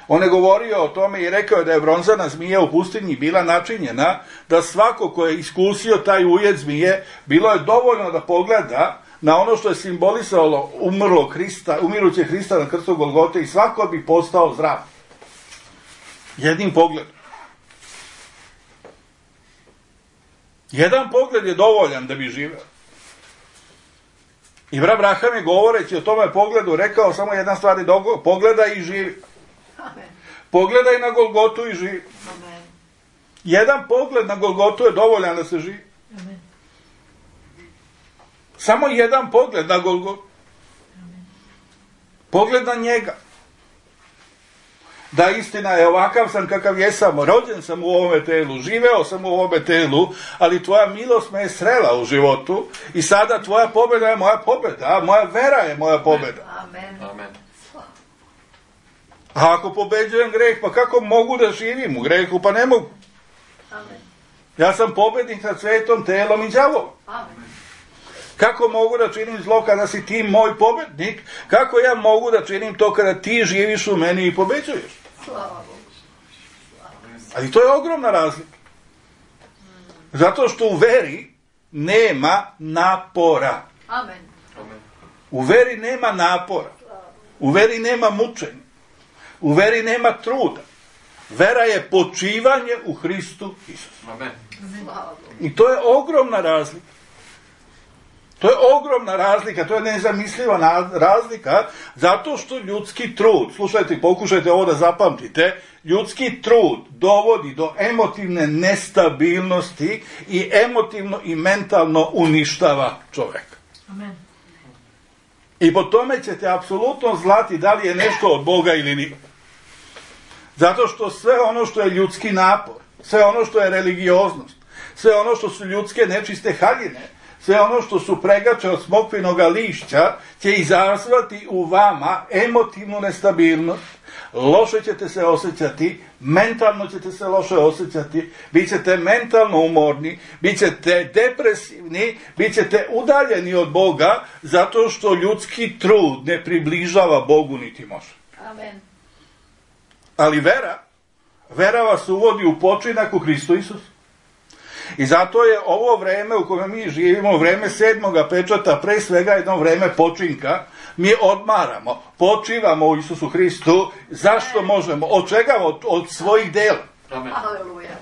On je govorio o tome i rekao da je bronzana zmija u pustinji bila načinjena da svako ko je iskusio taj ujed zmije, bilo je dovoljno da pogleda na ono što je simbolisalo umiruće Hrista na krstu Golgote i svako bi postao zdrav. Jednim pogledom. Jedan pogled je dovoljan da bi živeo. I brat Braham je govoreći o tome pogledu rekao samo jedna stvar, pogledaj i živi. Amen. Pogledaj na Golgotu i živi. Amen. Jedan pogled na Golgotu je dovoljan da se živi. Amen. Samo jedan pogled na Golgotu. Pogled na njega. Da, istina je, ovakav sam kakav jesam, rođen sam u ovome telu, živeo sam u ovome telu, ali tvoja milost me je srela u životu i sada tvoja pobjeda je moja pobjeda, moja vera je moja pobjeda. Amen. Amen. A ako pobeđujem greh, pa kako mogu da živim u grehu? Pa ne mogu. Amen. Ja sam pobjednik nad svetom, telom i đavolom. Amen. Kako mogu da činim zlo kada si ti moj pobjednik? Kako ja mogu da činim to kada ti živiš u meni i pobeđuješ? Slava Bogu. Ali to je ogromna razlika. Zato što u veri nema napora. Amen. Amen. U veri nema napora. U veri nema mučenja. U veri nema truda. Vera je počivanje u Hristu Isusu. Amen. Slava Bogu. I to je ogromna razlika. To je ogromna razlika, to je nezamisliva razlika, zato što ljudski trud, slušajte, pokušajte ovo da zapamtite, ljudski trud dovodi do emotivne nestabilnosti i emotivno i mentalno uništava čovjeka. Amen. I po tome ćete apsolutno znati da li je nešto od Boga ili nije. Zato što sve ono što je ljudski napor, sve ono što je religioznost, sve ono što su ljudske nečiste haljine, sve ono što su pregače od smokvinoga lišća će izazvati u vama emotivnu nestabilnost, loše ćete se osjećati, mentalno ćete se loše osjećati, bit ćete mentalno umorni, bit ćete depresivni, bit ćete udaljeni od Boga, zato što ljudski trud ne približava Bogu niti može. Amen. Ali vera vas uvodi u počinak u Hristu Isusu. I zato je ovo vreme u kojem mi živimo, vreme 7. pečata, pre svega jedno vreme počinka. Mi odmaramo, počivamo u Isusu Hristu. Zašto možemo? Od čega? Od svojih dela. Amen. Aleluja.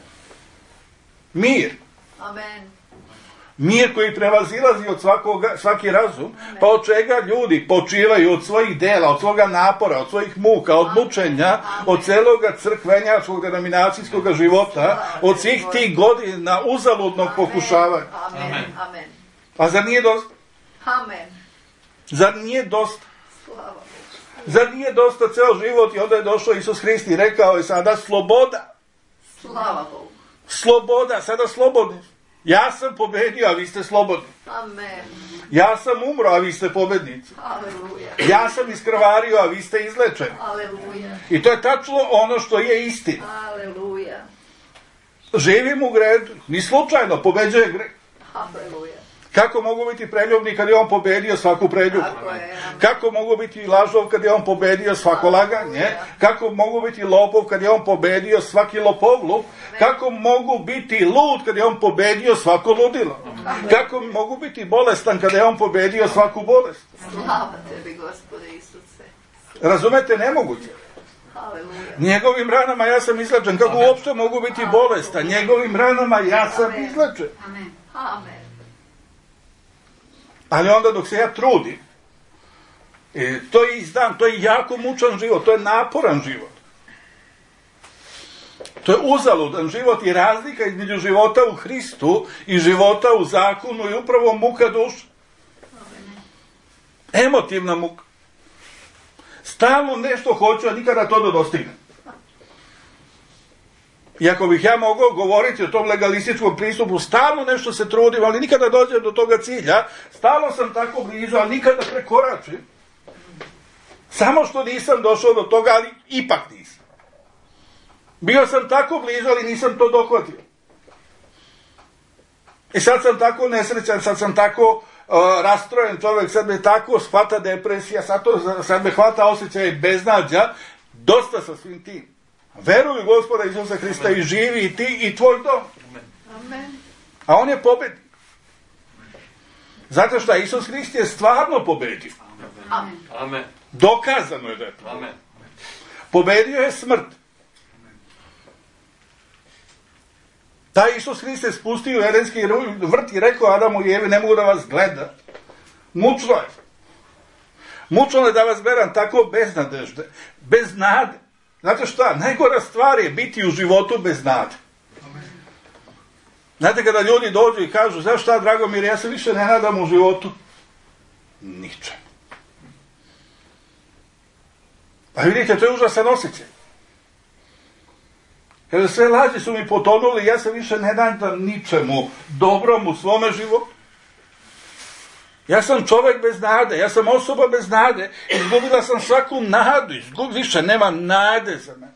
Mir. Amen. Mir koji prevazilazi od svaki razum. Pa od čega ljudi počivaju? Od svojih dela, od svoga napora, od svojih muka, od mučenja, od celoga crkvenjačkog denominacijskog života, od svih tih godina uzaludnog pokušavanja. Amen. Amen. A zar nije dosta? Amen. Zar nije dosta? Slava Bogu. Zar nije dosta ceo život? I onda je došao Isus Hrist i rekao je sada sloboda. Slava Bogu. Sloboda, sada slobodni. Ja sam pobedio, a vi ste slobodni. Amen. Ja sam umro, a vi ste pobednici. Aleluja. Ja sam iskrvario, a vi ste izlečeni. Aleluja. I to je tačno ono što je istina. Aleluja. Živim u gredu, ni slučajno pobeđuje greh. Aleluja. Kako mogu biti preljubni kad je on pobedio svaku preljubu? Kako mogu biti lažov kad je on pobedio svako laganje? Kako mogu biti lopov kad je on pobedio svaki lopovluk? Kako mogu biti lud kad je on pobedio svako ludilo? Kako mogu biti bolestan kad je on pobedio svaku bolest? Slava tebi, Gospode Isuse. Razumete, nemoguće. Aleluja. Njegovim ranama ja sam izlečen. Kako uopšte mogu biti bolestan? Njegovim ranama ja sam izlečen. Amen. Amen. Ali onda dok se ja trudim, to je izdan, to je jako mučan život, to je naporan život. To je uzaludan život i razlika između života u Hristu i života u zakonu i upravo muka duša. Emotivna muka. Stalno nešto hoću, a nikada to da dostignem. I ako bih ja mogao govoriti o tom legalističkom pristupu, stalno nešto se trudim, ali nikada dođem do toga cilja, stalno sam tako blizu, ali nikada prekoračim. Samo što nisam došao do toga, ali ipak nisam. Bio sam tako blizu, ali nisam to dohvatio. I sad sam nesrećan, sad sam tako rastrojen čovjek, sad me tako shvata depresija, sad me hvata osjećaj beznađa, dosta sa svim tim. Veruj u Gospoda Isusa Hrista i živi i ti i tvoj dom. Amen. A on je pobednik. Zato što Isus Hrist je stvarno pobedio. Amen. Amen. Dokazano je da je to. Amen. Pobedio je smrt. Taj Isus Hrist je spustio u Edenski vrt i rekao Adamu i Evi, ne mogu da vas gleda. Mučno je. Mučno je da vas gledam tako bez nadežde, bez nade. Znate šta? Najgora stvar je biti u životu bez nade. Znate kada ljudi dođu i kažu, znaš šta, Dragomir, ja se više ne nadam u životu? Ničem. Pa vidite, to je užasan osjećaj. Kada sve laži su mi potonuli, ja se više ne nadam ničemu dobrom u svome životu. Ja sam čovjek bez nade, ja sam osoba bez nade, izgubila sam svaku nadu, više nema nade za mene.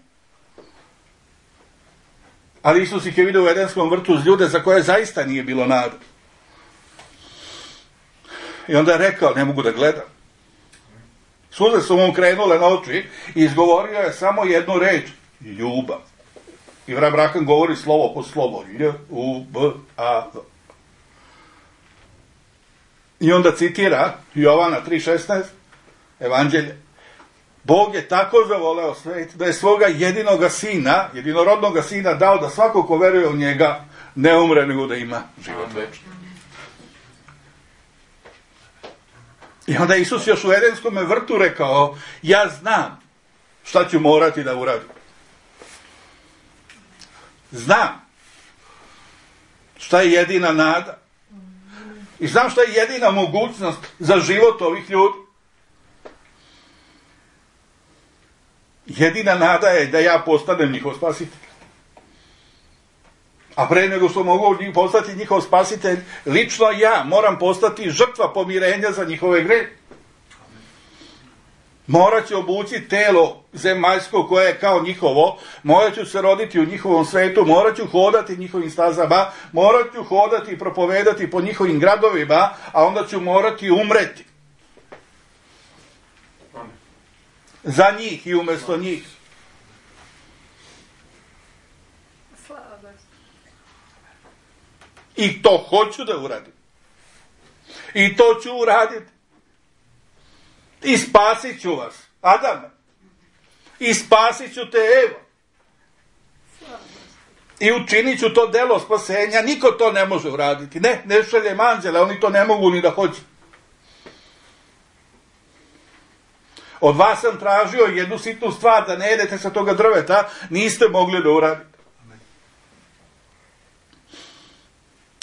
Ali Isus ih je vidio u Edenskom vrtu uz ljude za koje zaista nije bilo nade. I onda je rekao, ne mogu da gledam. Suze su mu krenule na oči i izgovorio je samo jednu reč, ljubav. I Abraham govori slovo po slovo, L-U-B-A-V. I onda citira Jovana 3.16, Evanđelje. Bog je tako zavoleo svet da je svoga jedinoga sina, jedinorodnoga sina dao da svako ko veruje u njega ne umre nego da ima život večni. I onda Isus još u Edenskom vrtu rekao, ja znam šta ću morati da uradim. Znam šta je jedina nada. I znam šta je jedina mogućnost za život ovih ljudi. Jedina nada je da ja postanem njihov spasitelj. A pre nego što mogu postati njihov spasitelj, lično ja moram postati žrtva pomirenja za njihove grehe. Morat ću obući telo zemaljsko koje je kao njihovo, morat ću se roditi u njihovom svetu, morat ću hodati njihovim stazama, morat ću hodati i propovedati po njihovim gradovima, a onda ću morati umreti. Za njih i umjesto njih. I to hoću da uradim. I to ću uraditi. I spasit ću vas, Adame. I spasit ću te, Evo. I učinit ću to delo spasenja. Niko to ne može uraditi. Ne šaljem anđele, oni to ne mogu ni da hoće. Od vas sam tražio jednu sitnu stvar, da ne jedete sa toga drveta, niste mogli da uradite.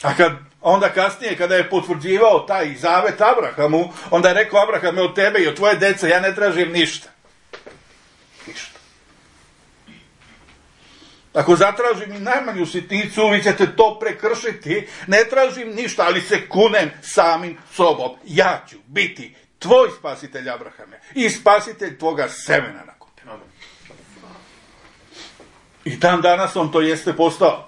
A onda kasnije, kada je potvrđivao taj zavet Abrahamu, onda je rekao: Abrahame, od tebe i od tvoje dece ja ne tražim ništa. Ništa. Ako zatražim i najmanju sitnicu, vi ćete to prekršiti. Ne tražim ništa, ali se kunem samim sobom. Ja ću biti tvoj spasitelj, Abrahame, i spasitelj tvoga semena nakon tebe. I dan danas on to jeste postao.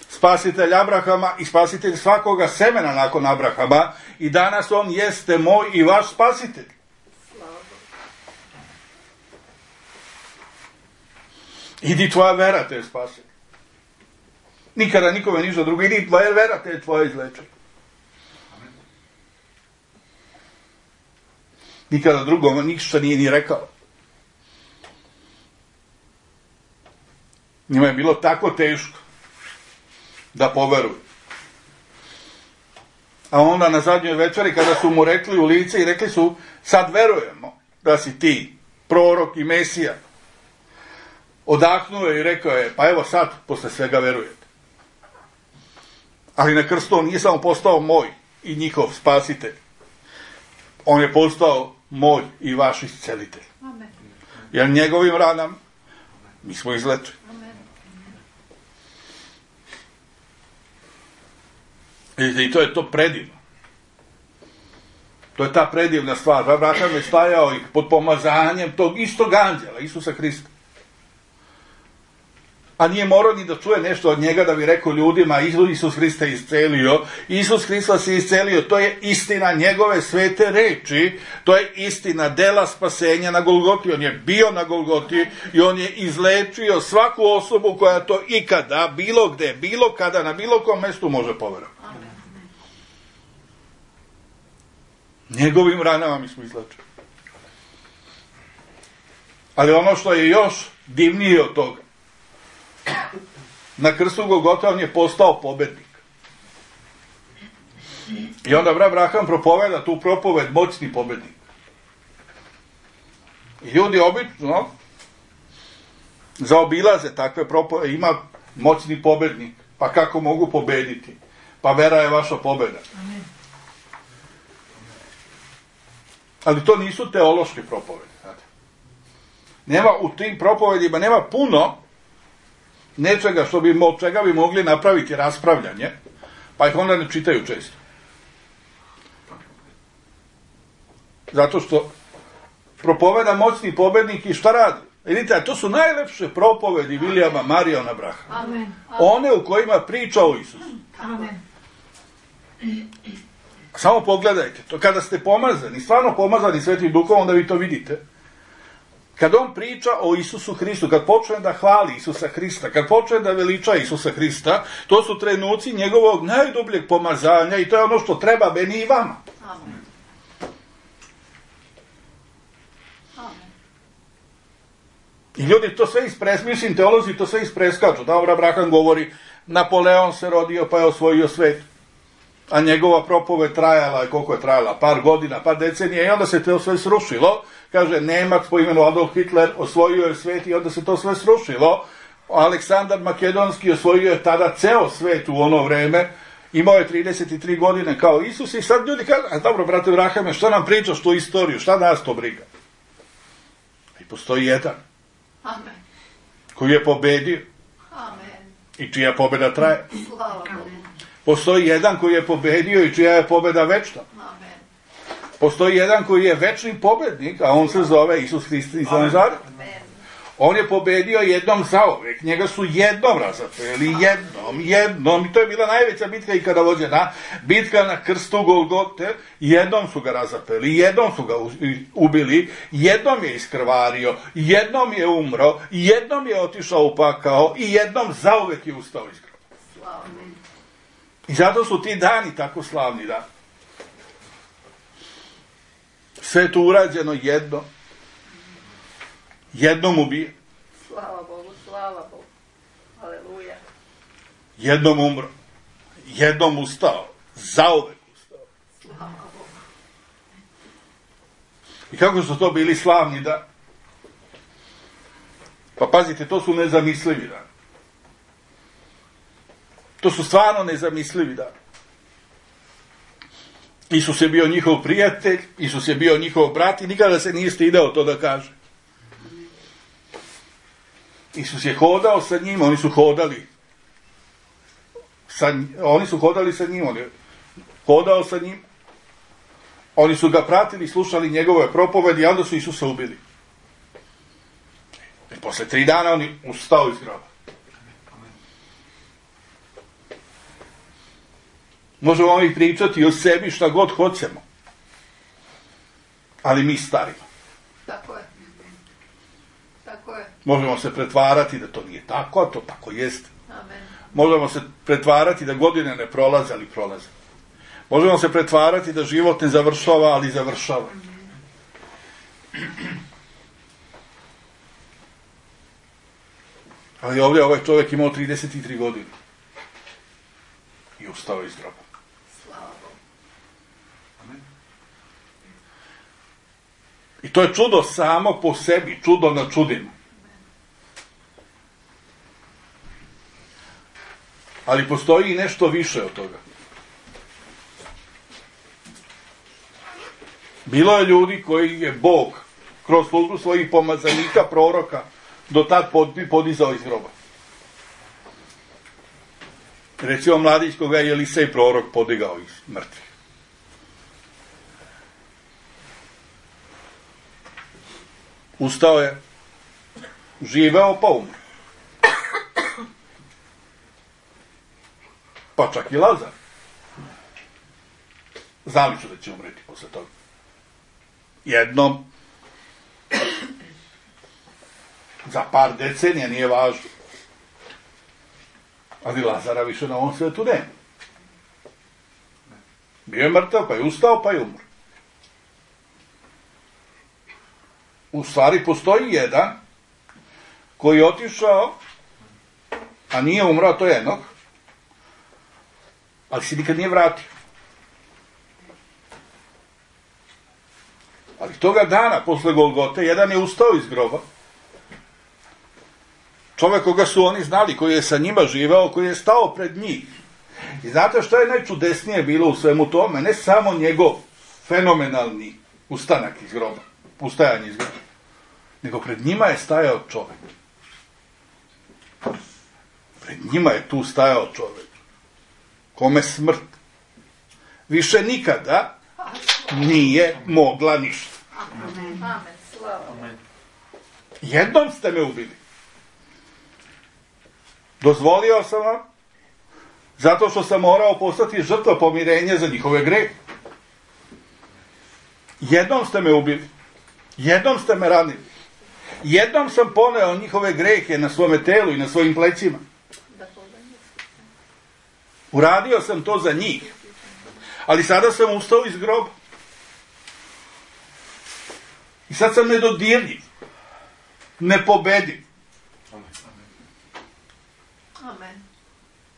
Spasitelj Abrahama i spasitelj svakoga semena nakon Abrahama, i danas on jeste moj i vaš spasitelj. Idi, tvoja vera te spasi. Nikada nikome ništa drugo. Idi, tvoja vera te tvoje izleče. Nikada drugome ništa nije ni rekao. Njima je bilo tako teško da poveruju. A onda na zadnjoj večeri, kada su mu rekli u lice i rekli su: sad verujemo da si ti prorok i Mesija, odahnuo je i rekao je: pa evo sad posle svega verujete. Ali na krstu on nije samo postao moj i njihov spasitelj, on je postao moj i vaš iscelitelj. Amen. Jer njegovim ranama mi smo izlečeni. I to je to predivno. To je ta predivna stvar. Abraham je stajao pod pomazanjem tog istog anđela, Isusa Hrista. A nije morao ni da čuje nešto od njega da bi rekao ljudima: Isus Hrista je iscelio. Isus Hrista se iscelio. To je istina njegove svete reči. To je istina dela spasenja na Golgoti. On je bio na Golgoti i on je izlečio svaku osobu koja to ikada, bilo gde, bilo kada, na bilo kom mestu može poverovati. Njegovim ranama mi smo izlečeni. Ali ono što je još divnije od toga, na krstu Golgota on je postao pobednik. I onda Abraham propoveda tu propoved: moćni pobednik. I ljudi obično zaobilaze takve propovede. Ima moćni pobednik, pa kako mogu pobediti? Pa vera je vaša pobeda. Amen. Ali to nisu teološke propovede. Nema u tim propovedima, nema puno nečega od čega bi mogli napraviti raspravljanje, pa ih onda ne čitaju često. Zato što propoveda moćni pobednik i šta radi? Vidite, to su najlepše propovedi Vilijama Mariona Braha. Amen. One u kojima priča o Isusu. Amen. Samo pogledajte, to kada ste pomazani, stvarno pomazani Svetim Duhom, onda vi to vidite. Kad on priča o Isusu Hristu, kad počne da hvali Isusa Hrista, kad počne da veliča Isusa Hrista, to su trenuci njegovog najdubljeg pomazanja i to je ono što treba meni i vama. Amen. Amen. I ljudi to sve mislim, teolozi to sve ispreskaču. Da, Abraham govori: Napoleon se rodio pa je osvojio svet. A njegova propoved trajala, koliko je trajala? Par godina, par decenija, i onda se to sve srušilo. Kaže, Nemac po imenu Adolf Hitler osvojio je svet i onda se to sve srušilo. Aleksandar Makedonski osvojio je tada ceo svet u ono vreme. Imao je 33 godine kao Isus i sad ljudi kažu: a dobro, brate Abrahame, šta nam pričaš tu istoriju? Šta nas to briga? I postoji jedan Amen. koji je pobedio. Amen. i čija pobjeda traje. Slava Bogu. Postoji jedan koji je pobedio i čija je pobjeda večna. Amen. Postoji jedan koji je večni pobjednik, a on se zove Isus Hrist iz Nazaret. Amen. On je pobedio jednom zauvek, njega su jednom razapeli, jednom, i to je bila najveća bitka ikada vođena, bitka na krstu Golgote, jednom su ga razapeli, jednom su ga ubili, jednom je iskrvario, jednom je umro, jednom je otišao u pakao i jednom zauvek je ustao iz groba. Slava Bogu. I zato su ti dani tako slavni dani. Sve je to urađeno jednom ubije, Slava Bogu, slava Bogu. Aleluja. jednom umro, jednom ustao, zauvek ustao. Slava Bogu. I kako su to bili slavni dani? Pa pazite, to su nezamislivi dani. To su stvarno nezamislivi dani. Isus je bio njihov prijatelj, Isus je bio njihov brat i nikada se nije stidao to da kaže. Isus je hodao sa njim, oni su hodali sa njim, on je hodao sa njim, oni su ga pratili, slušali njegove propovedi i onda su Isusa ubili. I posle 3 dana on je ustao iz groba. Možemo mi pričati o sebi šta god hoćemo, ali mi starimo. Tako je. Tako je. Možemo se pretvarati da to nije tako, a to tako jeste. Amen. Možemo se pretvarati da godine ne prolaze, ali prolaze. Možemo se pretvarati da život ne završava, ali završava. Ali ovdje ovaj čovjek imao 33 godine. I ustao iz groba. Slava Bogu. I to je čudo samo po sebi, čudo na čudima. Ali postoji i nešto više od toga. Bilo je ljudi koji je Bog kroz službu svojih pomazanika, proroka, do tad podizao iz groba. Recimo mladić koga je Elisej prorok podigao iz mrtvih. Ustao je, živeo pa umro. Pa čak i Lazar. Znali su da će umreti posle toga. Jednom, za par decenija, nije važno. Ali Lazara više na ovom svetu nema. Bio je mrtav, pa je ustao, pa je umro. U stvari postoji jedan koji je otišao, a nije umro, a to je Enok, ali se nikad nije vratio. Ali toga dana, posle Golgote, jedan je ustao iz groba. Čovjek koga su oni znali, koji je sa njima živeo, koji je stao pred njih. I znate što je najčudesnije bilo u svemu tome? Ne samo njegov fenomenalni ustanak iz groba, ustajanje iz groba, nego pred njima je stajao čovjek. Pred njima je tu stajao čovjek. Kome smrt više nikada nije mogla ništa. Amen. Slava Bogu. Jednom ste me ubili. Dozvolio sam vam, zato što sam morao postati žrtva pomirenja za njihove grehe. Jednom ste me ubili. Jednom ste me ranili. Jednom sam poneo njihove grehe na svome telu i na svojim plećima. Uradio sam to za njih. Ali sada sam ustao iz groba. I sad sam nedodirljiv. Nepobediv. Amen.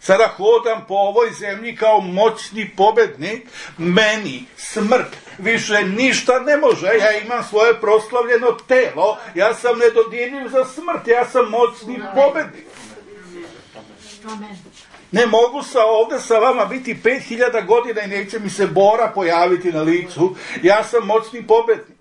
Sada hodam po ovoj zemlji kao moćni pobednik. Meni smrt više ništa ne može. Ja imam svoje proslavljeno telo. Ja sam nedodirljiv za smrt. Ja sam moćni pobednik. Amen. Ne mogu ovdje sa vama biti 5000 godina i neće mi se bora pojaviti na licu. Ja sam moćni pobednik.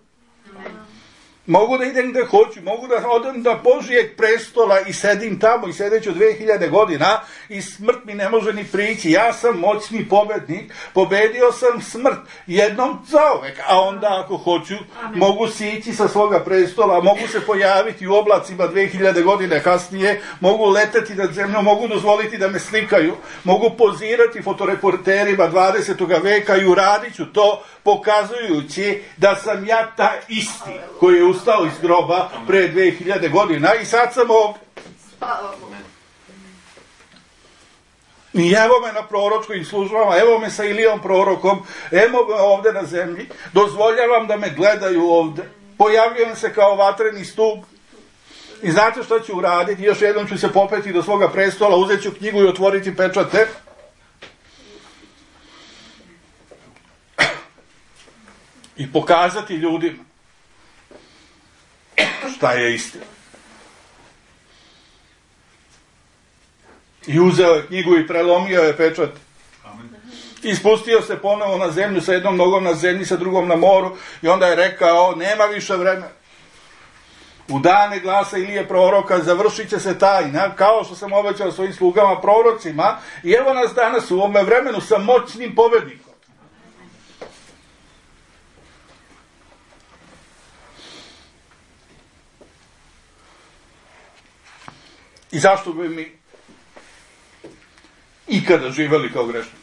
Mogu da idem gde hoću, mogu da odem do Božijeg prestola i sedim tamo i sedeću 2000 godina i smrt mi ne može ni prići. Ja sam moćni pobednik, pobedio sam smrt jednom zauvek, a onda ako hoću mogu sići sa svoga prestola, mogu se pojaviti u oblacima 2000 godine kasnije, mogu leteti nad zemljom, mogu dozvoliti da me slikaju, mogu pozirati fotoreporterima 20. veka i uradit ću to pokazujući da sam ja ta isti koji je ustao iz groba pre 2000 godina i sad sam ovdje. I evo me na proročkim službama, evo me sa Ilijom prorokom, evo me ovdje na zemlji, dozvoljavam da me gledaju ovdje, pojavljujem se kao vatreni stup. I znate što ću uraditi? Još jednom ću se popeti do svoga prestola, uzet ću knjigu i otvoriti pečate. I pokazati ljudima šta je istina. I uzeo je knjigu i prelomio je pečat. I spustio se ponovo na zemlju, sa jednom nogom na zemlji, sa drugom na moru, i onda je rekao, nema više vremena. U dane glasa Ilije proroka završit će se tajna, kao što sam obećao svojim slugama prorocima, i evo nas danas u ovome vremenu sa moćnim pobednikom. I zašto bi mi ikada živeli kao grešni?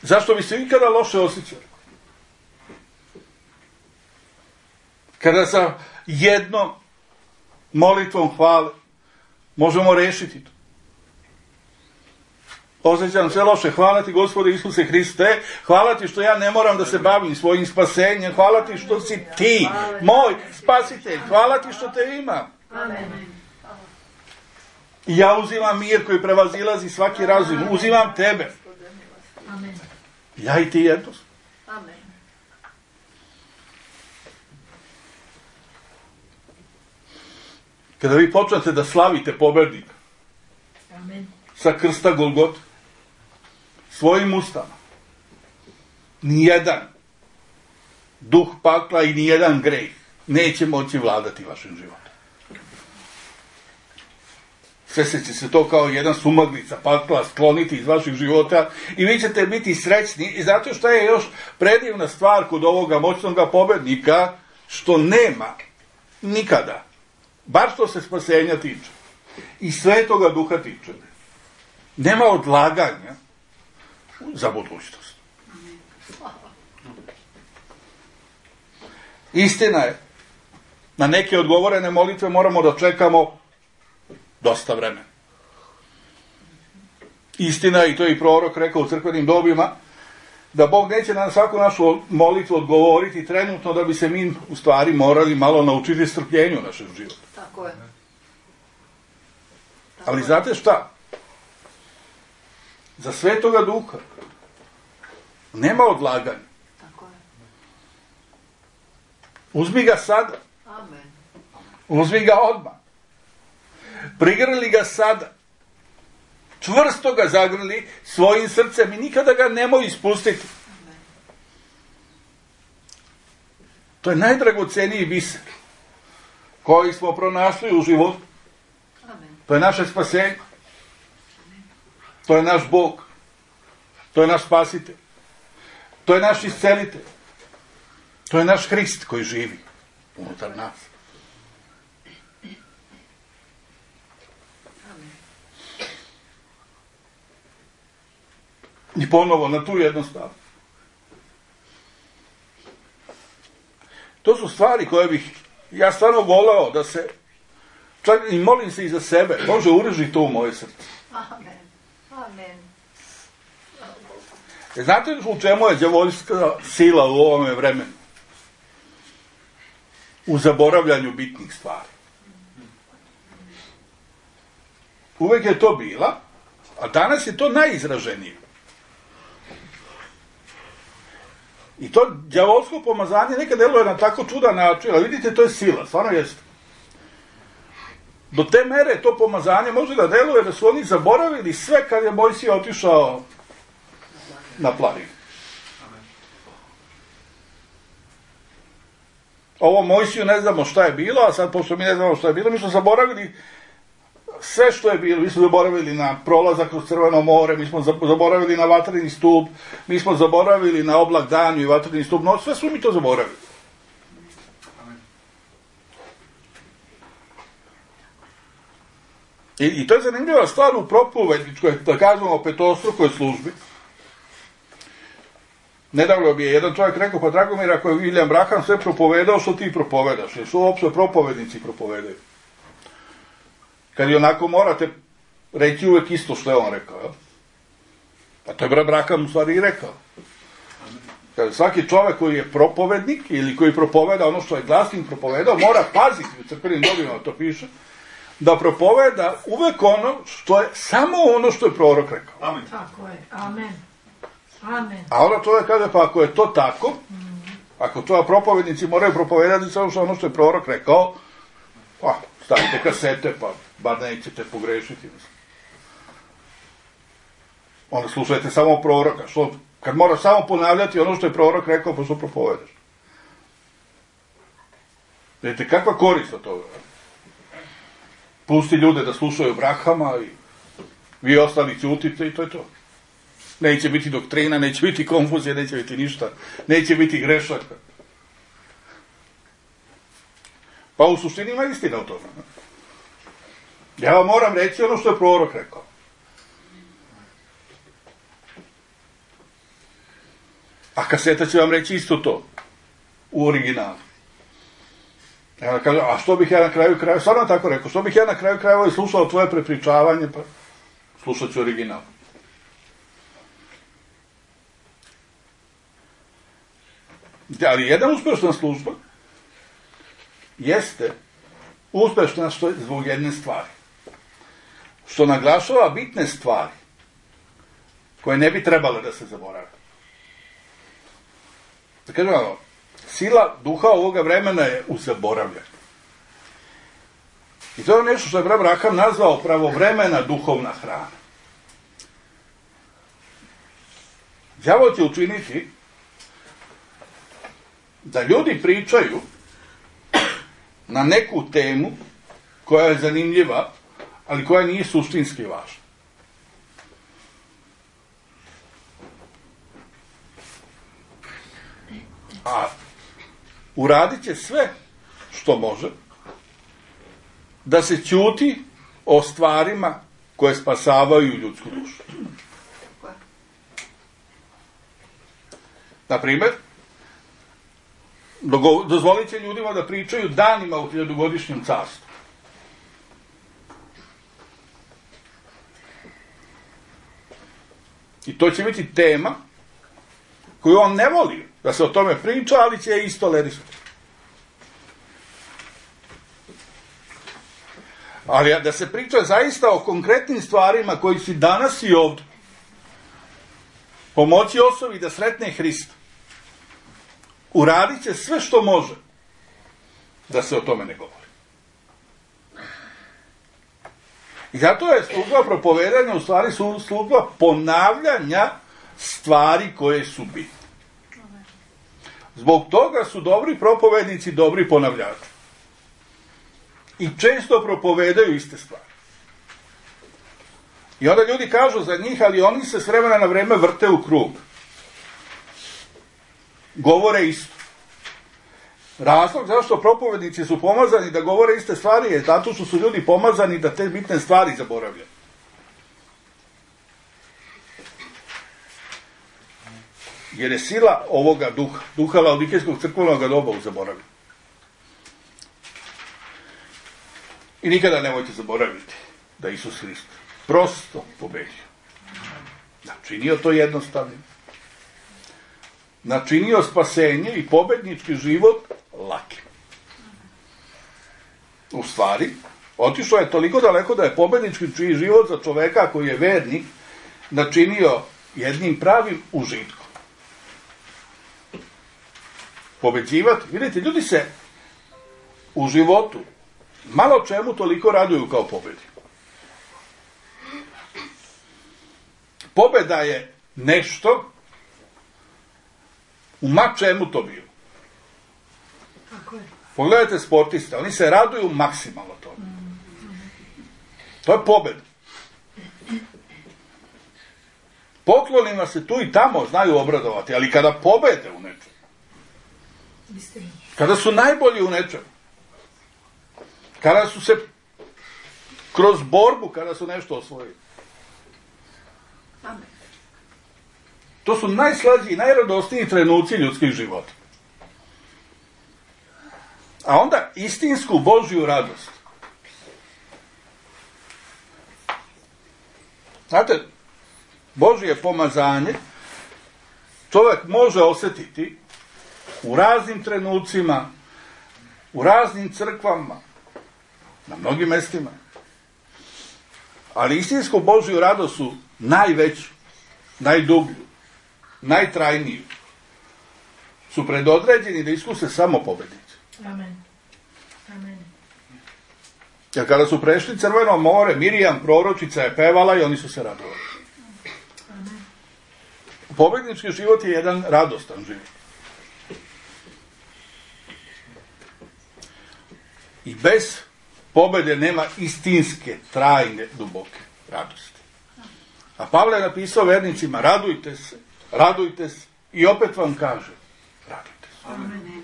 Zašto bi se ikada loše osjećali? Kada sa jednom molitvom hvale možemo rešiti to. Osjećam se loše, hvala ti Gospode Isuse Hriste, hvala ti što ja ne moram da se bavim svojim spasenjem, hvala ti što si ti, moj spasitelj, hvala ti što te imam. Amen. I ja uzimam mir koji prevazilazi svaki razum, uzimam tebe. Amen. Ja i ti jedno. Amen. Kada vi počnete da slavite pobednika sa krsta Golgota, svojim ustama, nijedan duh pakla i nijedan greh neće moći vladati vašim životom. Sve će se to kao jedna sumaglica pakla skloniti iz vaših života i vi ćete biti srećni. I zato što je još predivna stvar kod ovoga moćnog pobednika, što nema nikada, bar što se spasenja tiče i Svetoga Duha tiče, nema odlaganja za budućnost. Istina je, na neke odgovorene molitve moramo da čekamo dosta vremena. Istina je, i to je i prorok rekao u crkvenim dobima, da Bog neće na svaku našu molitvu odgovoriti trenutno, da bi se mi u stvari morali malo naučiti strpljenju našeg života. Tako je. Ali znate šta? Za Svetoga Duha nema odlaganja. Tako je. Uzmi ga sada. Amen. Uzmi ga odmah. Prigrli ga sada. Čvrsto ga zagrli svojim srcem i nikada ga nemoj ispustiti. Amen. To je najdragoceniji biser koji smo pronašli u životu. Amen. To je naše spasenje. To je naš Bog. To je naš spasitelj. To je naš iscelitelj. To je naš Hrist koji živi unutar nas. I ponovo na tu jednostavnu. To su stvari koje bih ja stvarno voleo da se, čak i molim se i za sebe, Bože, ureži to u moje srce. Amen. Amen. Znate u čemu je đavolska sila u ovome vremenu? U zaboravljanju bitnih stvari. Uvek je to bila, a danas je to najizraženije. I to đavolsko pomazanje nekad deluje na tako čudan način, ali vidite, to je sila, stvarno jeste. Do te mere to pomazanje može da deluje da su oni zaboravili sve kad je Mojsije otišao na planinu. ovo Mojsiju ne znamo šta je bilo, a sad pošto mi ne znamo šta je bilo, mi smo zaboravili sve što je bilo. Mi smo zaboravili na prolazak kroz Crveno more, mi smo zaboravili na vatreni stup, mi smo zaboravili na oblak danju i vatreni stup, no sve smo mi to zaboravili. I to je zanimljiva stvar u propovedničkoj, da kažemo, petostrukoj službi. Nedavno bi je jedan čovjek rekao, pa Dragomir, ako je William Branham sve propovedao, što ti propovedaš? Jer što uopće propovednici propovedaju? Kad i onako morate reći uvek isto što je on rekao. Jel? A to je Branham u stvari i rekao. Kad svaki čovjek koji je propovednik ili koji propoveda ono što je glasnik propovedao, mora paziti, u crkvenim dobima to piše, da propoveda uvek ono što je, samo ono što je prorok rekao. Amen. Tako je, amen. Amen. A onda čovjek kaže, pa ako je to tako, ako to propovednici moraju propovedati samo što ono što je prorok rekao, pa stavite kasete, pa bar nećete pogrešiti. Onda slušajte samo proroka. Što, kad moraš samo ponavljati ono što je prorok rekao, pa što propovedaš? Vidite, kakva korist od toga? Pusti ljude da slušaju Branhama i vi ostali ćutite i to je to. Neće biti doktrina, neće biti konfuzija, neće biti ništa, neće biti grešaka. Pa u suštini ima istina o tome. Ja vam moram reći ono što je prorok rekao. A kaseta će vam reći isto to. U originalu. Ja kažem, a što bih ja na kraju krajeva, stvarno tako rekao, što bih ja na kraju krajeva slušao tvoje prepričavanje, pa slušat ću original. Ali jedna uspešna služba jeste uspešna zbog jedne stvari. Što naglašava bitne stvari koje ne bi trebale da se zaborave. Da kažem, sila duha ovoga vremena je u zaboravljanju. I to je nešto što je Branham nazvao pravovremena duhovna hrana. Đavo će učiniti da ljudi pričaju na neku temu koja je zanimljiva, ali koja nije suštinski važna. A uradit će sve što može da se ćuti o stvarima koje spasavaju ljudsku dušu. Naprimjer, dozvolit će ljudima da pričaju danima u 1000-godišnjem carstvu. I to će biti tema koju on ne voli da se o tome priča, ali će je isto tolerisati. Ali da se priča zaista o konkretnim stvarima koji su danas i ovdje, pomoći osobi da sretne Hrista, uradit će sve što može da se o tome ne govori. I zato je služba propovedanja u stvari služba ponavljanja stvari koje su bitne. Zbog toga su dobri propovednici dobri ponavljači. I često propovedaju iste stvari. I onda ljudi kažu za njih, ali oni se s vremena na vreme vrte u krug. Govore isto. Razlog zašto propovednici su pomazani da govore iste stvari je zato što su ljudi pomazani da te bitne stvari zaboravljaju. Jer je sila ovoga duha laodikejskog crkvenog doba u zaboravljanju. I nikada nemojte zaboraviti da Isus Hrist prosto pobedio. Načinio to jednostavnim. Načinio spasenje i pobednički život lakim. U stvari, otišao je toliko daleko da je pobednički život za čoveka koji je vernik načinio jednim pravim užitkom. Pobeđivati. Vidite, ljudi se u životu malo čemu toliko raduju kao pobedi. Pobeda je nešto u ma čemu to bilo. Pogledajte sportiste, oni se raduju maksimalno tome. To je pobjeda. Poklonima se tu i tamo znaju obradovati, ali kada pobede u nečem, kada su najbolji u nečem, kada su se kroz borbu, kada su nešto osvojili, to su najslađiji i najradosniji trenuci ljudskih života. A onda istinsku Božju radost. Znate, Božje pomazanje čovjek može osjetiti u raznim trenucima, u raznim crkvama, na mnogim mjestima. Ali istinsku Božju radost su najveću, najdublju, najtrajniju. Su predodređeni da iskuse samo pobjednici. Amen. Amen. Jer kada su prešli Crveno more, Mirjam, proročica, je pevala i oni su se radovali. Amen. Pobjednički život je jedan radostan život. I bez pobjede nema istinske, trajne, duboke radosti. A Pavle je napisao vernicima, radujte se i opet vam kaže, radujte se. Amen.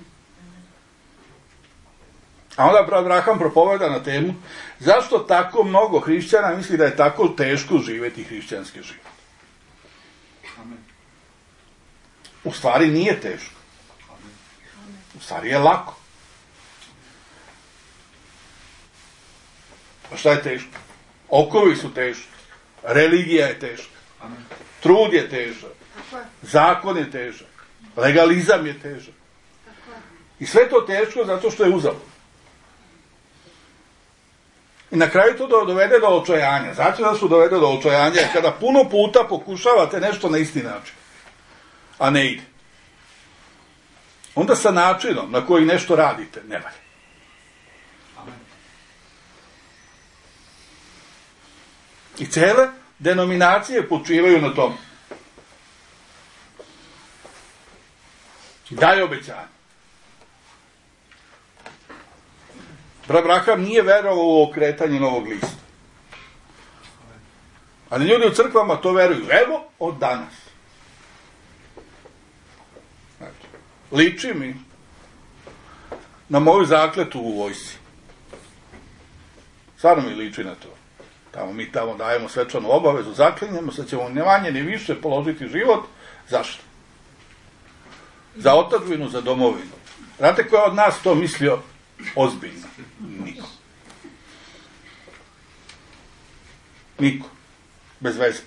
A onda Abraham propoveda na temu zašto tako mnogo hrišćana misli da je tako teško živjeti hrišćanski život. U stvari nije teško. U stvari je lako. A šta je teško? Okovi su teški. Religija je teška. Trud je težak. Zakon je težak. Legalizam je težak. I sve to teško zato što je uzalud. I na kraju to dovede do očajanja. Znači da su dovede do očajanja kada puno puta pokušavate nešto na isti način, a ne ide. Onda sa načinom na koji nešto radite ne valja. I cele denominacije počivaju na tom. Daje obećanje. Abraham nije verovao u okretanje novog lista. Ali ljudi u crkvama to veruju. Evo od danas. Znači, liči mi na moju zakletu u vojsci. Stvarno mi liči na to. Mi tamo dajemo svečanu obavezu, zaklinjemo se, ćemo ne manje ni više položiti život. Zašto? Za otadžbinu, za domovinu. Znate ko je od nas to mislio ozbiljno? Niko. Niko. Bez veze.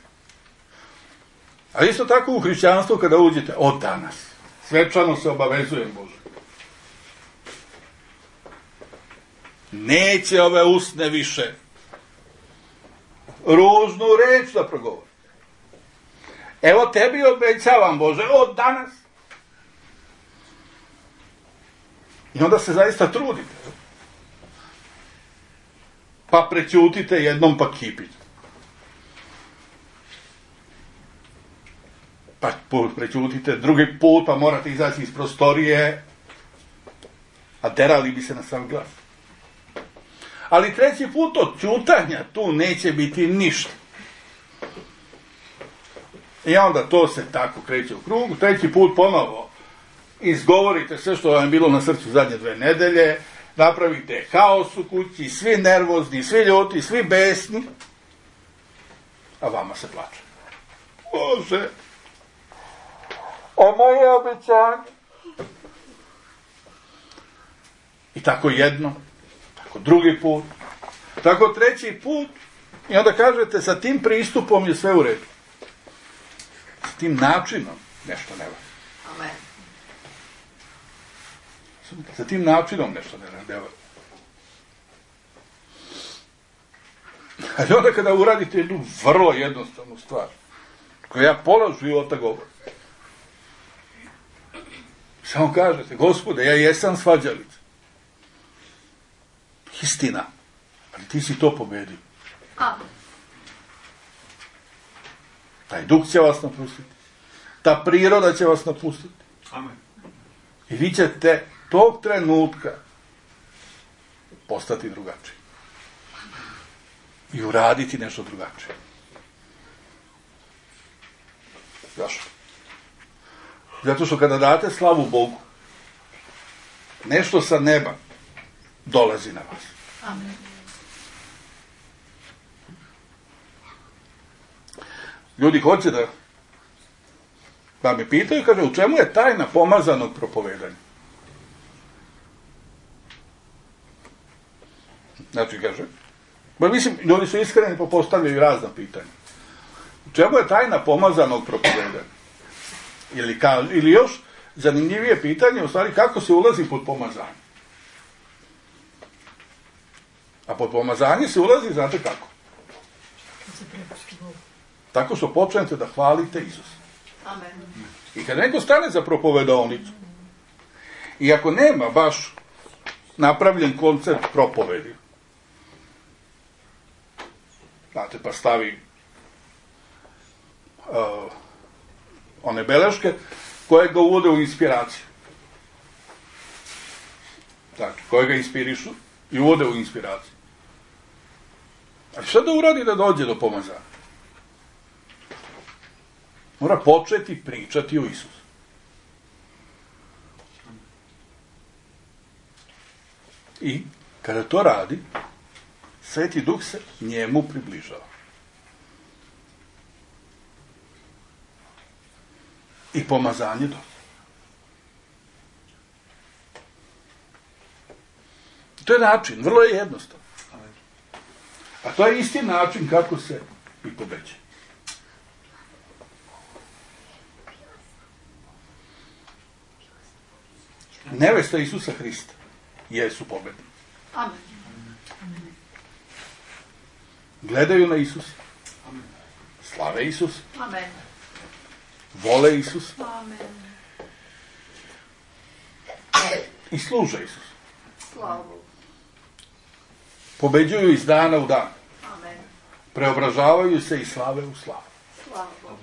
Ali isto tako u hrišćanstvu kada uđete od danas. Svečano se obavezujem Bože. Neće ove usne više ružnu reč da progovori. Evo tebi obećavam Bože od danas. I onda se zaista trudite. Pa prećutite jednom pa kipite. Pa prećutite drugi put pa morate izaći iz prostorije, a derali bi se na sam glas. Ali treći put od ćutanja tu neće biti ništa. I onda to se tako kreće u krugu. Treći put ponovo izgovorite sve što vam je bilo na srcu zadnje 2 nedelje, napravite haos u kući, svi nervozni, svi ljuti, svi besni, a vama se plače. Bože, a moje obećanje. I tako jedno, tako drugi put, tako treći put, i onda kažete sa tim pristupom je sve u redu. S tim načinom nešto ne valja. Amen. Sa tim načinom nešto ne valja. Ali onda kada uradite jednu vrlo jednostavnu stvar, koju ja pola života govorim, samo kažete, Gospode, ja jesam svađalica. Istina, ali ti si to pobedio. Amen. Taj duh će vas napustiti. Ta priroda će vas napustiti. Amen. I vi ćete tog trenutka postati drugačiji. I uraditi nešto drugačije. Zašto? Zato što kada date slavu Bogu, nešto sa neba dolazi na vas. Amen. Ljudi hoće da me pitaju, kaže, u čemu je tajna pomazanog propovedanja? Znači, kaže, mislim, ljudi su iskreni pa postavljaju razna pitanja. U čemu je tajna pomazanog propovedanja? Ili još zanimljivije pitanje, u stvari, kako se ulazi pod pomazanje? A pod pomazanje se ulazi, znate kako? Tako što počnete da hvalite Isusa. Amen. I kad neko stane za propovedovnicu, i ako nema baš napravljen koncept propovedi, znate, pa stavi one beleške koje ga uvode u inspiraciju. Znači, koje ga inspirišu i uvode u inspiraciju. Ali šta da uradi da dođe do pomazanja? Mora početi pričati o Isusu. I kada to radi, Sveti Duh se njemu približava. I pomazanje dolazi. To je način, vrlo je jednostavno. A to je isti način kako se i pobeđuje. Nevesta Isusa Hrista jesu pobedni. Amen. Gledaju na Isusa. Slave Isusa. Amen. Vole Isusa. Amen. I služe Isusa. Slava Bogu. Pobeđuju iz dana u dan. Amen. Preobražavaju se i slave u slavu. Slava Bogu.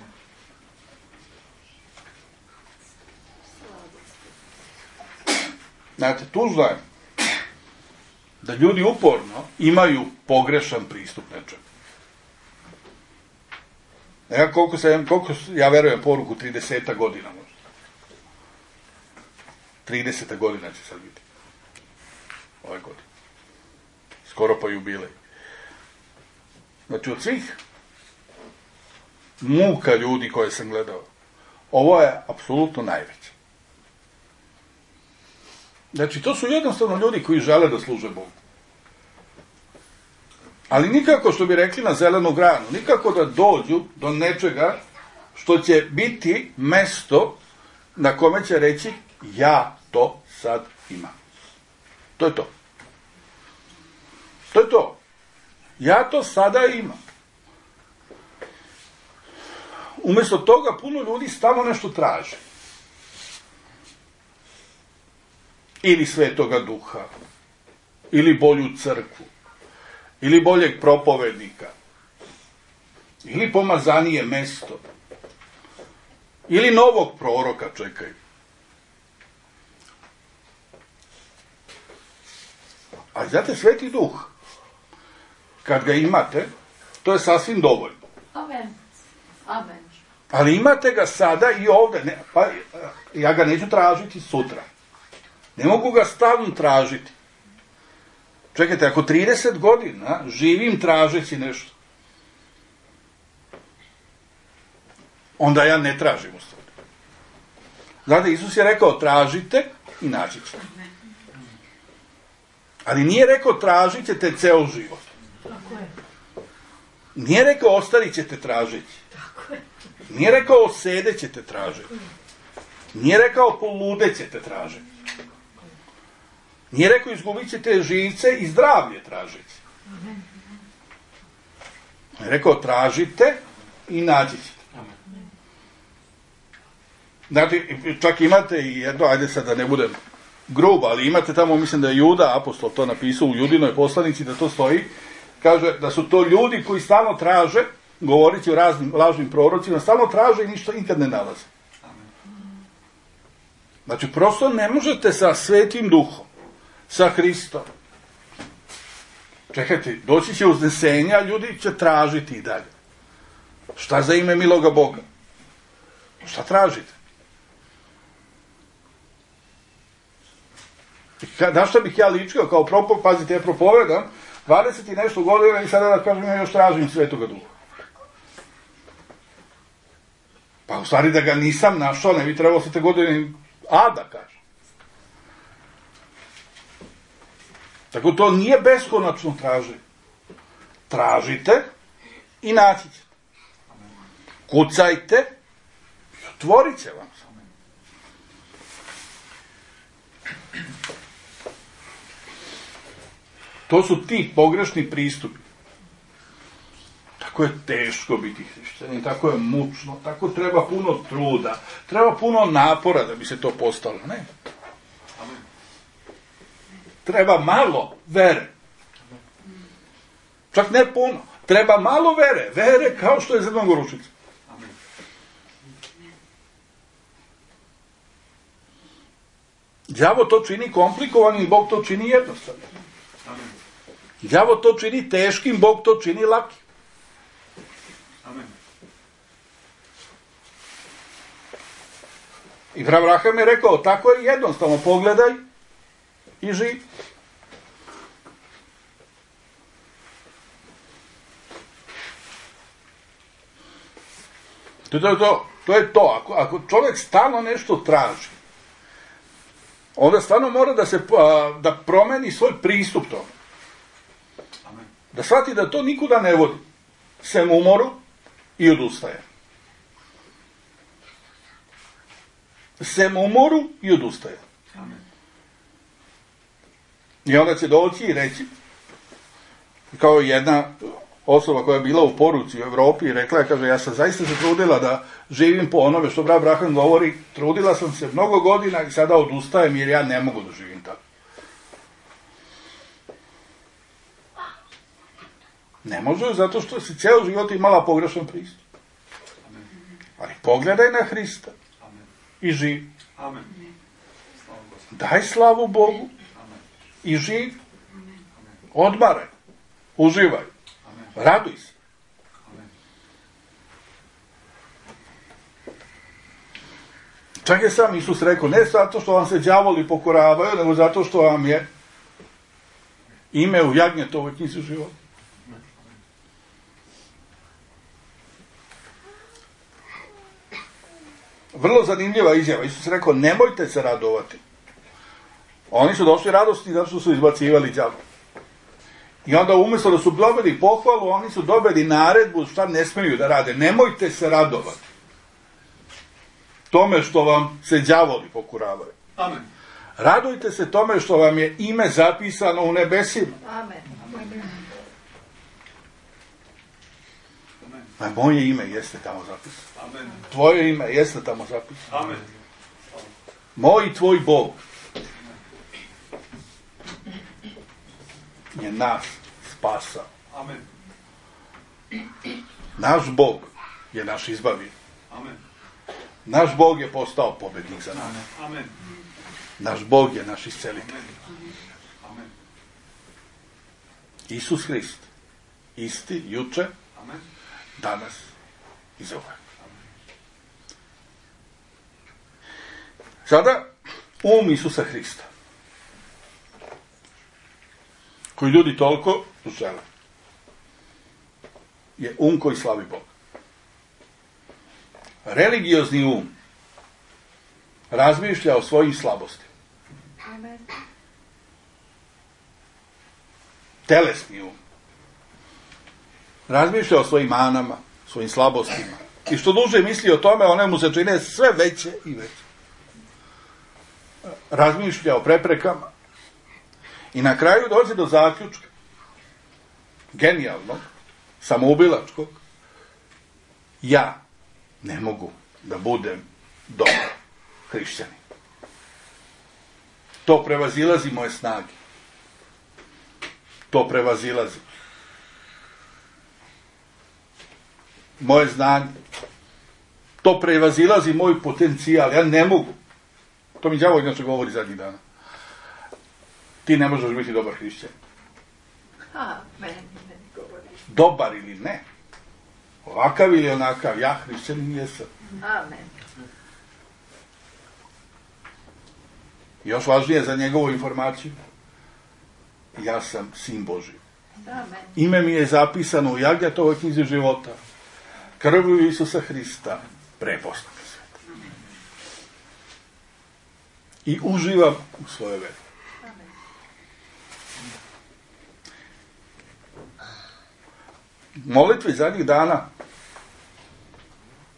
Znate, tužno je da ljudi uporno imaju pogrešan pristup nečemu. Koliko ja verujem poruku 30 godina možda. 30 godina će sad biti. Ove godine. Skoro pa jubilej. Znači, od svih muka ljudi koje sam gledao, ovo je apsolutno najveće. Znači, to su jednostavno ljudi koji žele da služe Bogu. Ali nikako, što bi rekli na zelenu granu, nikako da dođu do nečega što će biti mesto na kome će reći ja to sad imam. To je to. To je to. Ja to sada imam. Umjesto toga puno ljudi stalno nešto traže. Ili Svetoga Duha, ili bolju crkvu, ili boljeg propovednika, ili pomazanije mesto, ili novog proroka čekaju. A znate, Sveti Duh, kad ga imate, to je sasvim dovoljno. Amen. Amen. Ali imate ga sada i ovdje. Pa ja ga neću tražiti sutra. Ne mogu ga stalno tražiti. Čekajte, ako 30 godina živim tražeći nešto, onda ja ne tražim u stvari. Znate, Isus je rekao tražite i naći ćete. Ali nije rekao tražit ćete ceo život. Nije rekao ostarit ćete tražiti. Nije rekao sedet ćete tražiti. Nije rekao poludet ćete tražiti. Nije rekao izgubit ćete živce i zdravlje tražiti. Je rekao tražite i naći ćete. Znači, čak imate i jedno, ajde sad da ne budem grub, ali imate tamo, mislim da je Juda, apostol, to napisao u Judinoj poslanici, da to stoji, kaže da su to ljudi koji stalno traže, govoreći o raznim lažnim prorocima, stalno traže i ništa nikad ne nalaze. Znači, prosto ne možete sa Svetim Duhom, sa Hristom. Čekajte, doći će uznesenja, ljudi će tražiti i dalje. Šta za ime miloga Boga? Šta tražite? Na šta bih ja ličio kao pazite, ja propovedam 20 i nešto godina i sada da kažem ja još tražim Svetoga Duha. Pa u stvari da ga nisam našao, ne bi trebalo se te godine da kažem. Tako to nije beskonačno traženje. Tražite i naći ćete. Kucajte i otvorit će vam se. To su ti pogrešni pristupi. Tako je teško biti hrišćanin, tako je mučno, tako treba puno truda, treba puno napora da bi se to postalo, ne? Treba malo vere. Čak ne puno. Treba malo vere. Vere kao što je zrno gorušica. Đavo to čini komplikovanim, Bog to čini jednostavno. Đavo to čini teškim, Bog to čini lakim. I Abraham je rekao, tako je jednostavno, pogledaj i živi. To je to. Ako čovjek stalno nešto traži, onda stvarno mora da promeni svoj pristup tome. Da shvati da to nikuda ne vodi. Sem umoru i odustaje. Sem umoru i odustaje. I onda će doći i reći, kao jedna osoba koja je bila u poruci u Evropi i rekla je, kaže, ja sam zaista se trudila da živim po onome što brat Abraham govori, trudila sam se mnogo godina i sada odustajem jer ja ne mogu da živim tako. Ne može, zato što si ceo život imala pogrešan pristup. Ali pogledaj na Hrista i živi. Daj slavu Bogu i živi. Odmaraj, uživaj, raduj se. Čak je sam Isus rekao, ne zato što vam se đavoli pokoravaju, nego zato što vam je ime u jagnjetovoj knjizi života. Vrlo zanimljiva izjava. Isus rekao, nemojte se radovati. Oni su došli radosni zato što su izbacivali đavo. I onda umjesto da su dobili pohvalu, oni su dobili naredbu šta ne smiju da rade. Nemojte se radovati tome što vam se đavoli pokuravaju. Amen. Radujte se tome što vam je ime zapisano u nebesima. Amen. A moje ime jeste tamo zapisano. Amen. Tvoje ime jeste tamo zapisano. Amen. Moj i tvoj Bog je nas spasao. Amen. Naš Bog je naš izbavitelj. Amen. Naš Bog je postao pobednik za nas. Amen. Naš Bog je naš iscelitelj. Amen. Isus Hrist. Isti, juče, Amen. danas i za uvek. Sada, Isusa Hrista, koji ljudi toliko žele, je koji slavi Boga. Religiozni razmišlja o svojim slabostima. Amen. Telesni razmišlja o svojim manama, svojim slabostima. I što duže misli o tome, one mu se čine sve veće i veće. Razmišlja o preprekama. I na kraju dođe do zaključka, genijalnog, samoubilačkog, ja ne mogu da budem dobar hrišćanin. To prevazilazi moje snage. To prevazilazi moje znanje. To prevazilazi moj potencijal. Ja ne mogu. To mi đavo inače govori zadnjih dana. Ti ne možeš biti dobar hrišćan. Meni govori. Dobar ili ne. Ovakav ili onakav. Ja hrišćanin jesam. Amen. Još važnije za njegovu informaciju. Ja sam sin Božji. Amen. Ime mi je zapisano u Jagnjetovoj knjizi života. Krvlju Isusa Hrista preposlan svet. I uživam u svojoj veri. Amen. Molitvi zadnjih dana,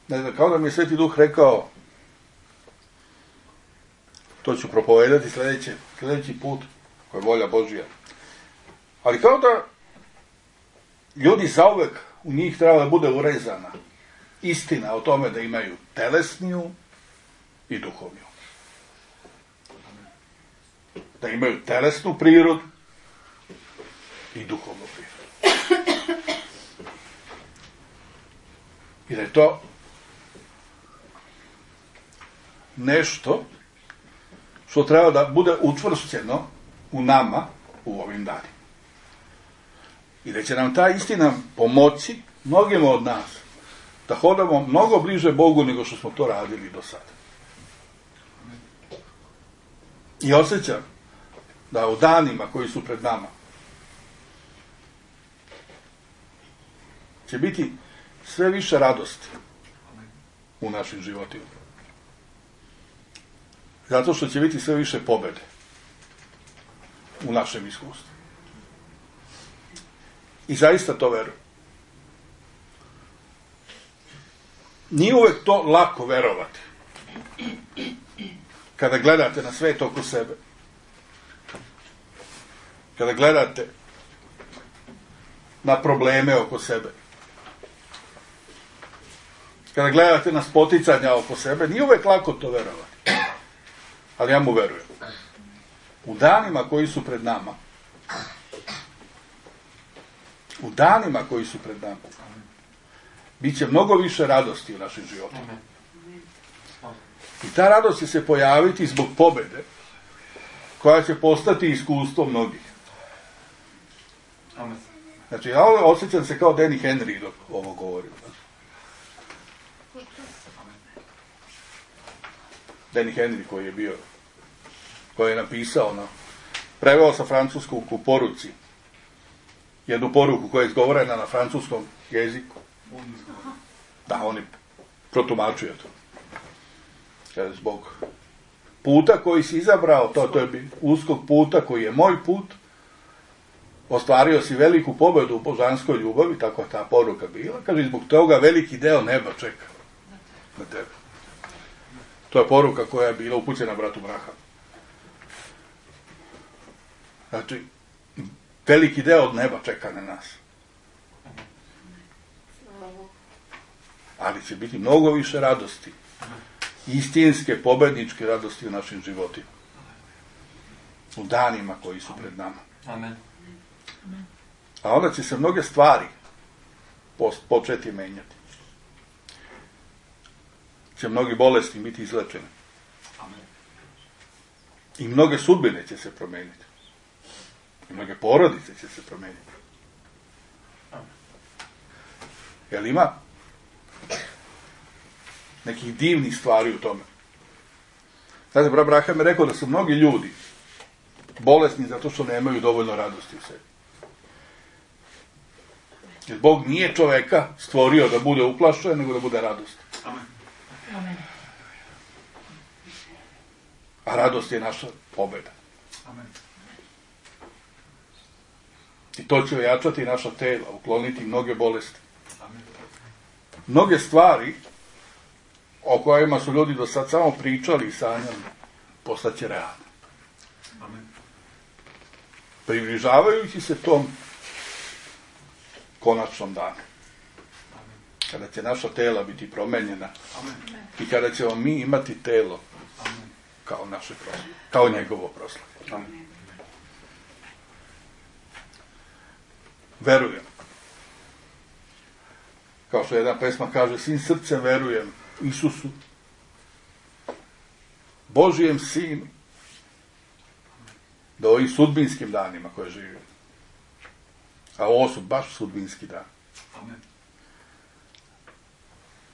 ne znam, kao da mi je Sveti Duh rekao, to ću propovedati sljedeći put, koja je volja Božja. Ali kao da ljudi zauvek u njih treba da bude urezana istina o tome da imaju telesniju i duhovniju. Da imaju telesnu prirodu i duhovnu prirodu. I da je to nešto što treba da bude učvršćeno u nama u ovim danima. I da će nam ta istina pomoći mnogima od nas da hodamo mnogo bliže Bogu nego što smo to radili do sada. I osjećam da u danima koji su pred nama će biti sve više radosti u našim životima. Zato što će biti sve više pobjede u našem iskustvu. I zaista to verujem. Nije uvek to lako verovati. Kada gledate na svet oko sebe. Kada gledate na probleme oko sebe. Kada gledate na spoticanja oko sebe, nije uvek lako to verovati. Ali ja mu verujem. U danima koji su pred nama, bit će mnogo više radosti u našim životima. I ta radost će se pojaviti zbog pobjede, koja će postati iskustvo mnogih. Znači, ja osjećam se kao Danny Henry dok ovo govorim. Danny Henry koji je napisao, preveo sa francuskog u poruci, jednu poruku koja je izgovorena na francuskom jeziku. Da, oni protumačuju to. Kaže, zbog puta koji si izabrao, to je uskog puta koji je moj put, ostvario si veliku pobjedu u božanskoj ljubavi, tako je ta poruka bila, kaže, zbog toga veliki deo neba čeka na tebe. To je poruka koja je bila upućena bratu Brahamu. Znači, veliki deo od neba čeka na nas. Ali će biti mnogo više radosti. Istinske, pobedničke radosti u našim životima. U danima koji su pred nama. Amen. A onda će se mnoge stvari početi menjati. Će mnogi bolesni biti izlečeni. I mnoge sudbine će se promeniti. I mnoge porodice će se promeniti. Jel ima nekih divnih stvari u tome? Znate, brat Braham je rekao da su mnogi ljudi bolesni zato što nemaju dovoljno radosti u sebi. Jer Bog nije čoveka stvorio da bude uplašen, nego da bude radost. Amen. A radost je naša pobjeda. Amen. I to će ojačati naša tela, ukloniti mnoge bolesti. Amen. Mnoge stvari o kojima su ljudi do sad samo pričali i sanjali, postaće realne. Amen. Približavajući se tom konačnom danu. Kada će naša tela biti promenjena. Amen. I kada ćemo mi imati telo Amen. kao naše proslave, kao njegovo proslave. Amen. Verujem. Kao što jedna pesma kaže, svim srcem verujem Isusu, Božijem Sinu, da ovim sudbinskim danima koje živimo, a ovo su baš sudbinski dani. Amen.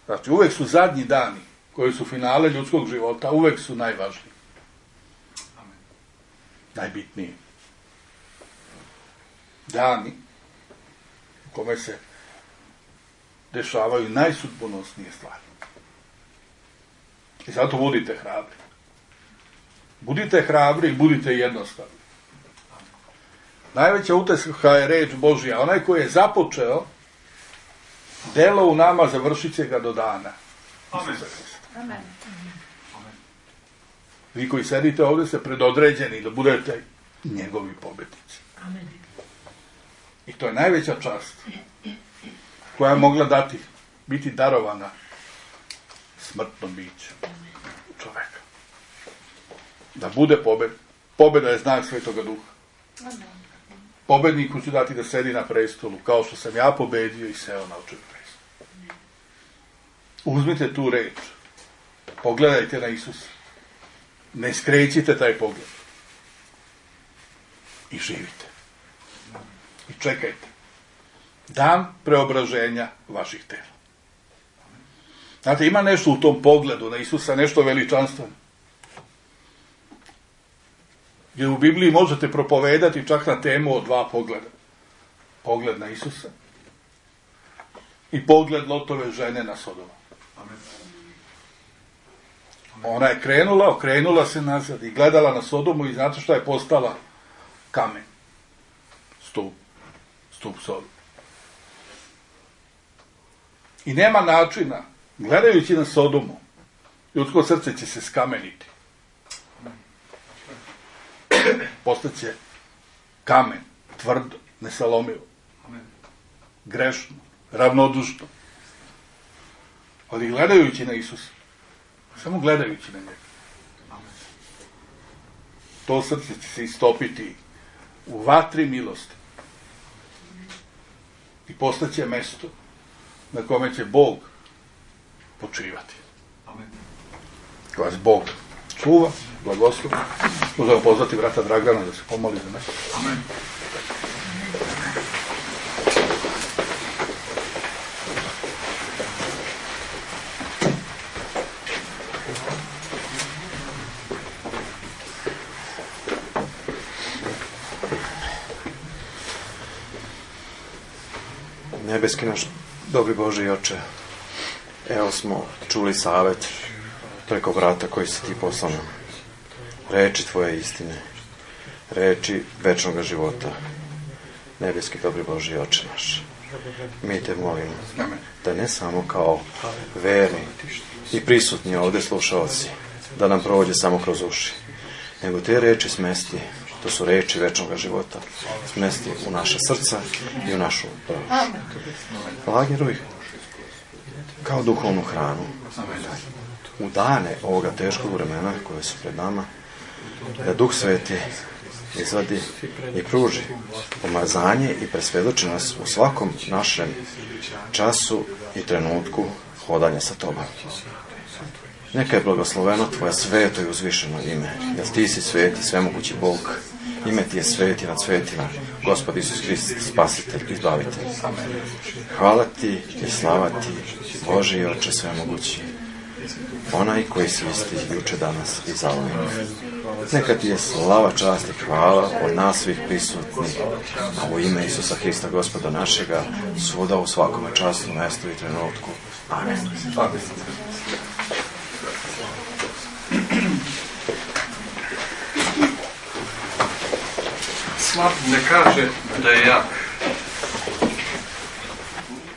Znači, uvek su zadnji dani koji su finale ljudskog života, uvek su najvažniji. Amen. Najbitniji. Dani u kome se dešavaju najsudbonosnije stvari. I zato budite hrabri. Budite hrabri i budite jednostavni. Najveća utjeha je reč Božja. Onaj koji je započeo delo u nama, završit će ga do dana. Amen. Amen. Amen. Vi koji sedite ovdje ste predodređeni da budete njegovi pobjednici. Amen. I to je najveća čast koja je mogla biti darovana smrtnom biću čoveka. Da bude pobjeda. Pobjeda je znak Svetoga Duha. Pobjedniku ću dati da sedi na prestolu, kao što sam ja pobedio i seo na očev prestol. Uzmite tu reč. Pogledajte na Isusa. Ne skrećite taj pogled. I živite. I čekajte. Dan preobraženja vaših tela. Znate, ima nešto u tom pogledu na Isusa, nešto veličanstveno. Jer u Bibliji možete propovedati čak na temu o 2 pogleda. Pogled na Isusa i pogled Lotove žene na Sodomu. Amen. Ona je okrenula se nazad i gledala na Sodomu i znate šta je postala? Kamen. Stup Sodom. I nema načina, gledajući na Sodomu, ljudsko srce će se skameniti. Postaće kamen, tvrdo, nesalomivo, grešno, ravnodušno. Ali gledajući na Isusa, samo gledajući na njega, to srce će se istopiti u vatri milosti i postaće mesto na kome će Bog počivati. Amen. Vas Bog čuva, blagoslov. Možemo pozvati brata Dragana da se pomoli za nas. Amen. Nebeski naš dobri Bože i Oče, evo smo čuli savet preko vrata koji si ti poslao nam. Reči tvoje istine, reči večnog života. Nebeski dobri Bože i Oče naš, mi te molimo da ne samo kao verni i prisutni ovdje slušalci, da nam prođe samo kroz uši, nego te reči smesti, to su reči večnog života, smesti u naša srca i u našu dušu. Lagiruj kao duhovnu hranu u dane ovoga teškog vremena koje su pred nama, da Duh Sveti izvadi i pruži pomazanje i presvjedoči nas u svakom našem času i trenutku hodanja sa tobom. Neka je blagosloveno tvoje sveto i uzvišeno ime, jer ti si sveti, svemogući Bog. Ime ti je sveti nad svetima, Gospod Isus Hrist, spasitelj, izbavitelj. Hvala ti i slava ti, Bože i Oče svemogući, onaj koji si isti juče, danas i zauvijek. Neka ti je slava, čast i hvala od nas svih prisutnih, a u ime Isusa Hrista, Gospoda našega, svuda u svakome času, mjestu i trenutku. Amen. Amen. Slab ne kaže da je jak.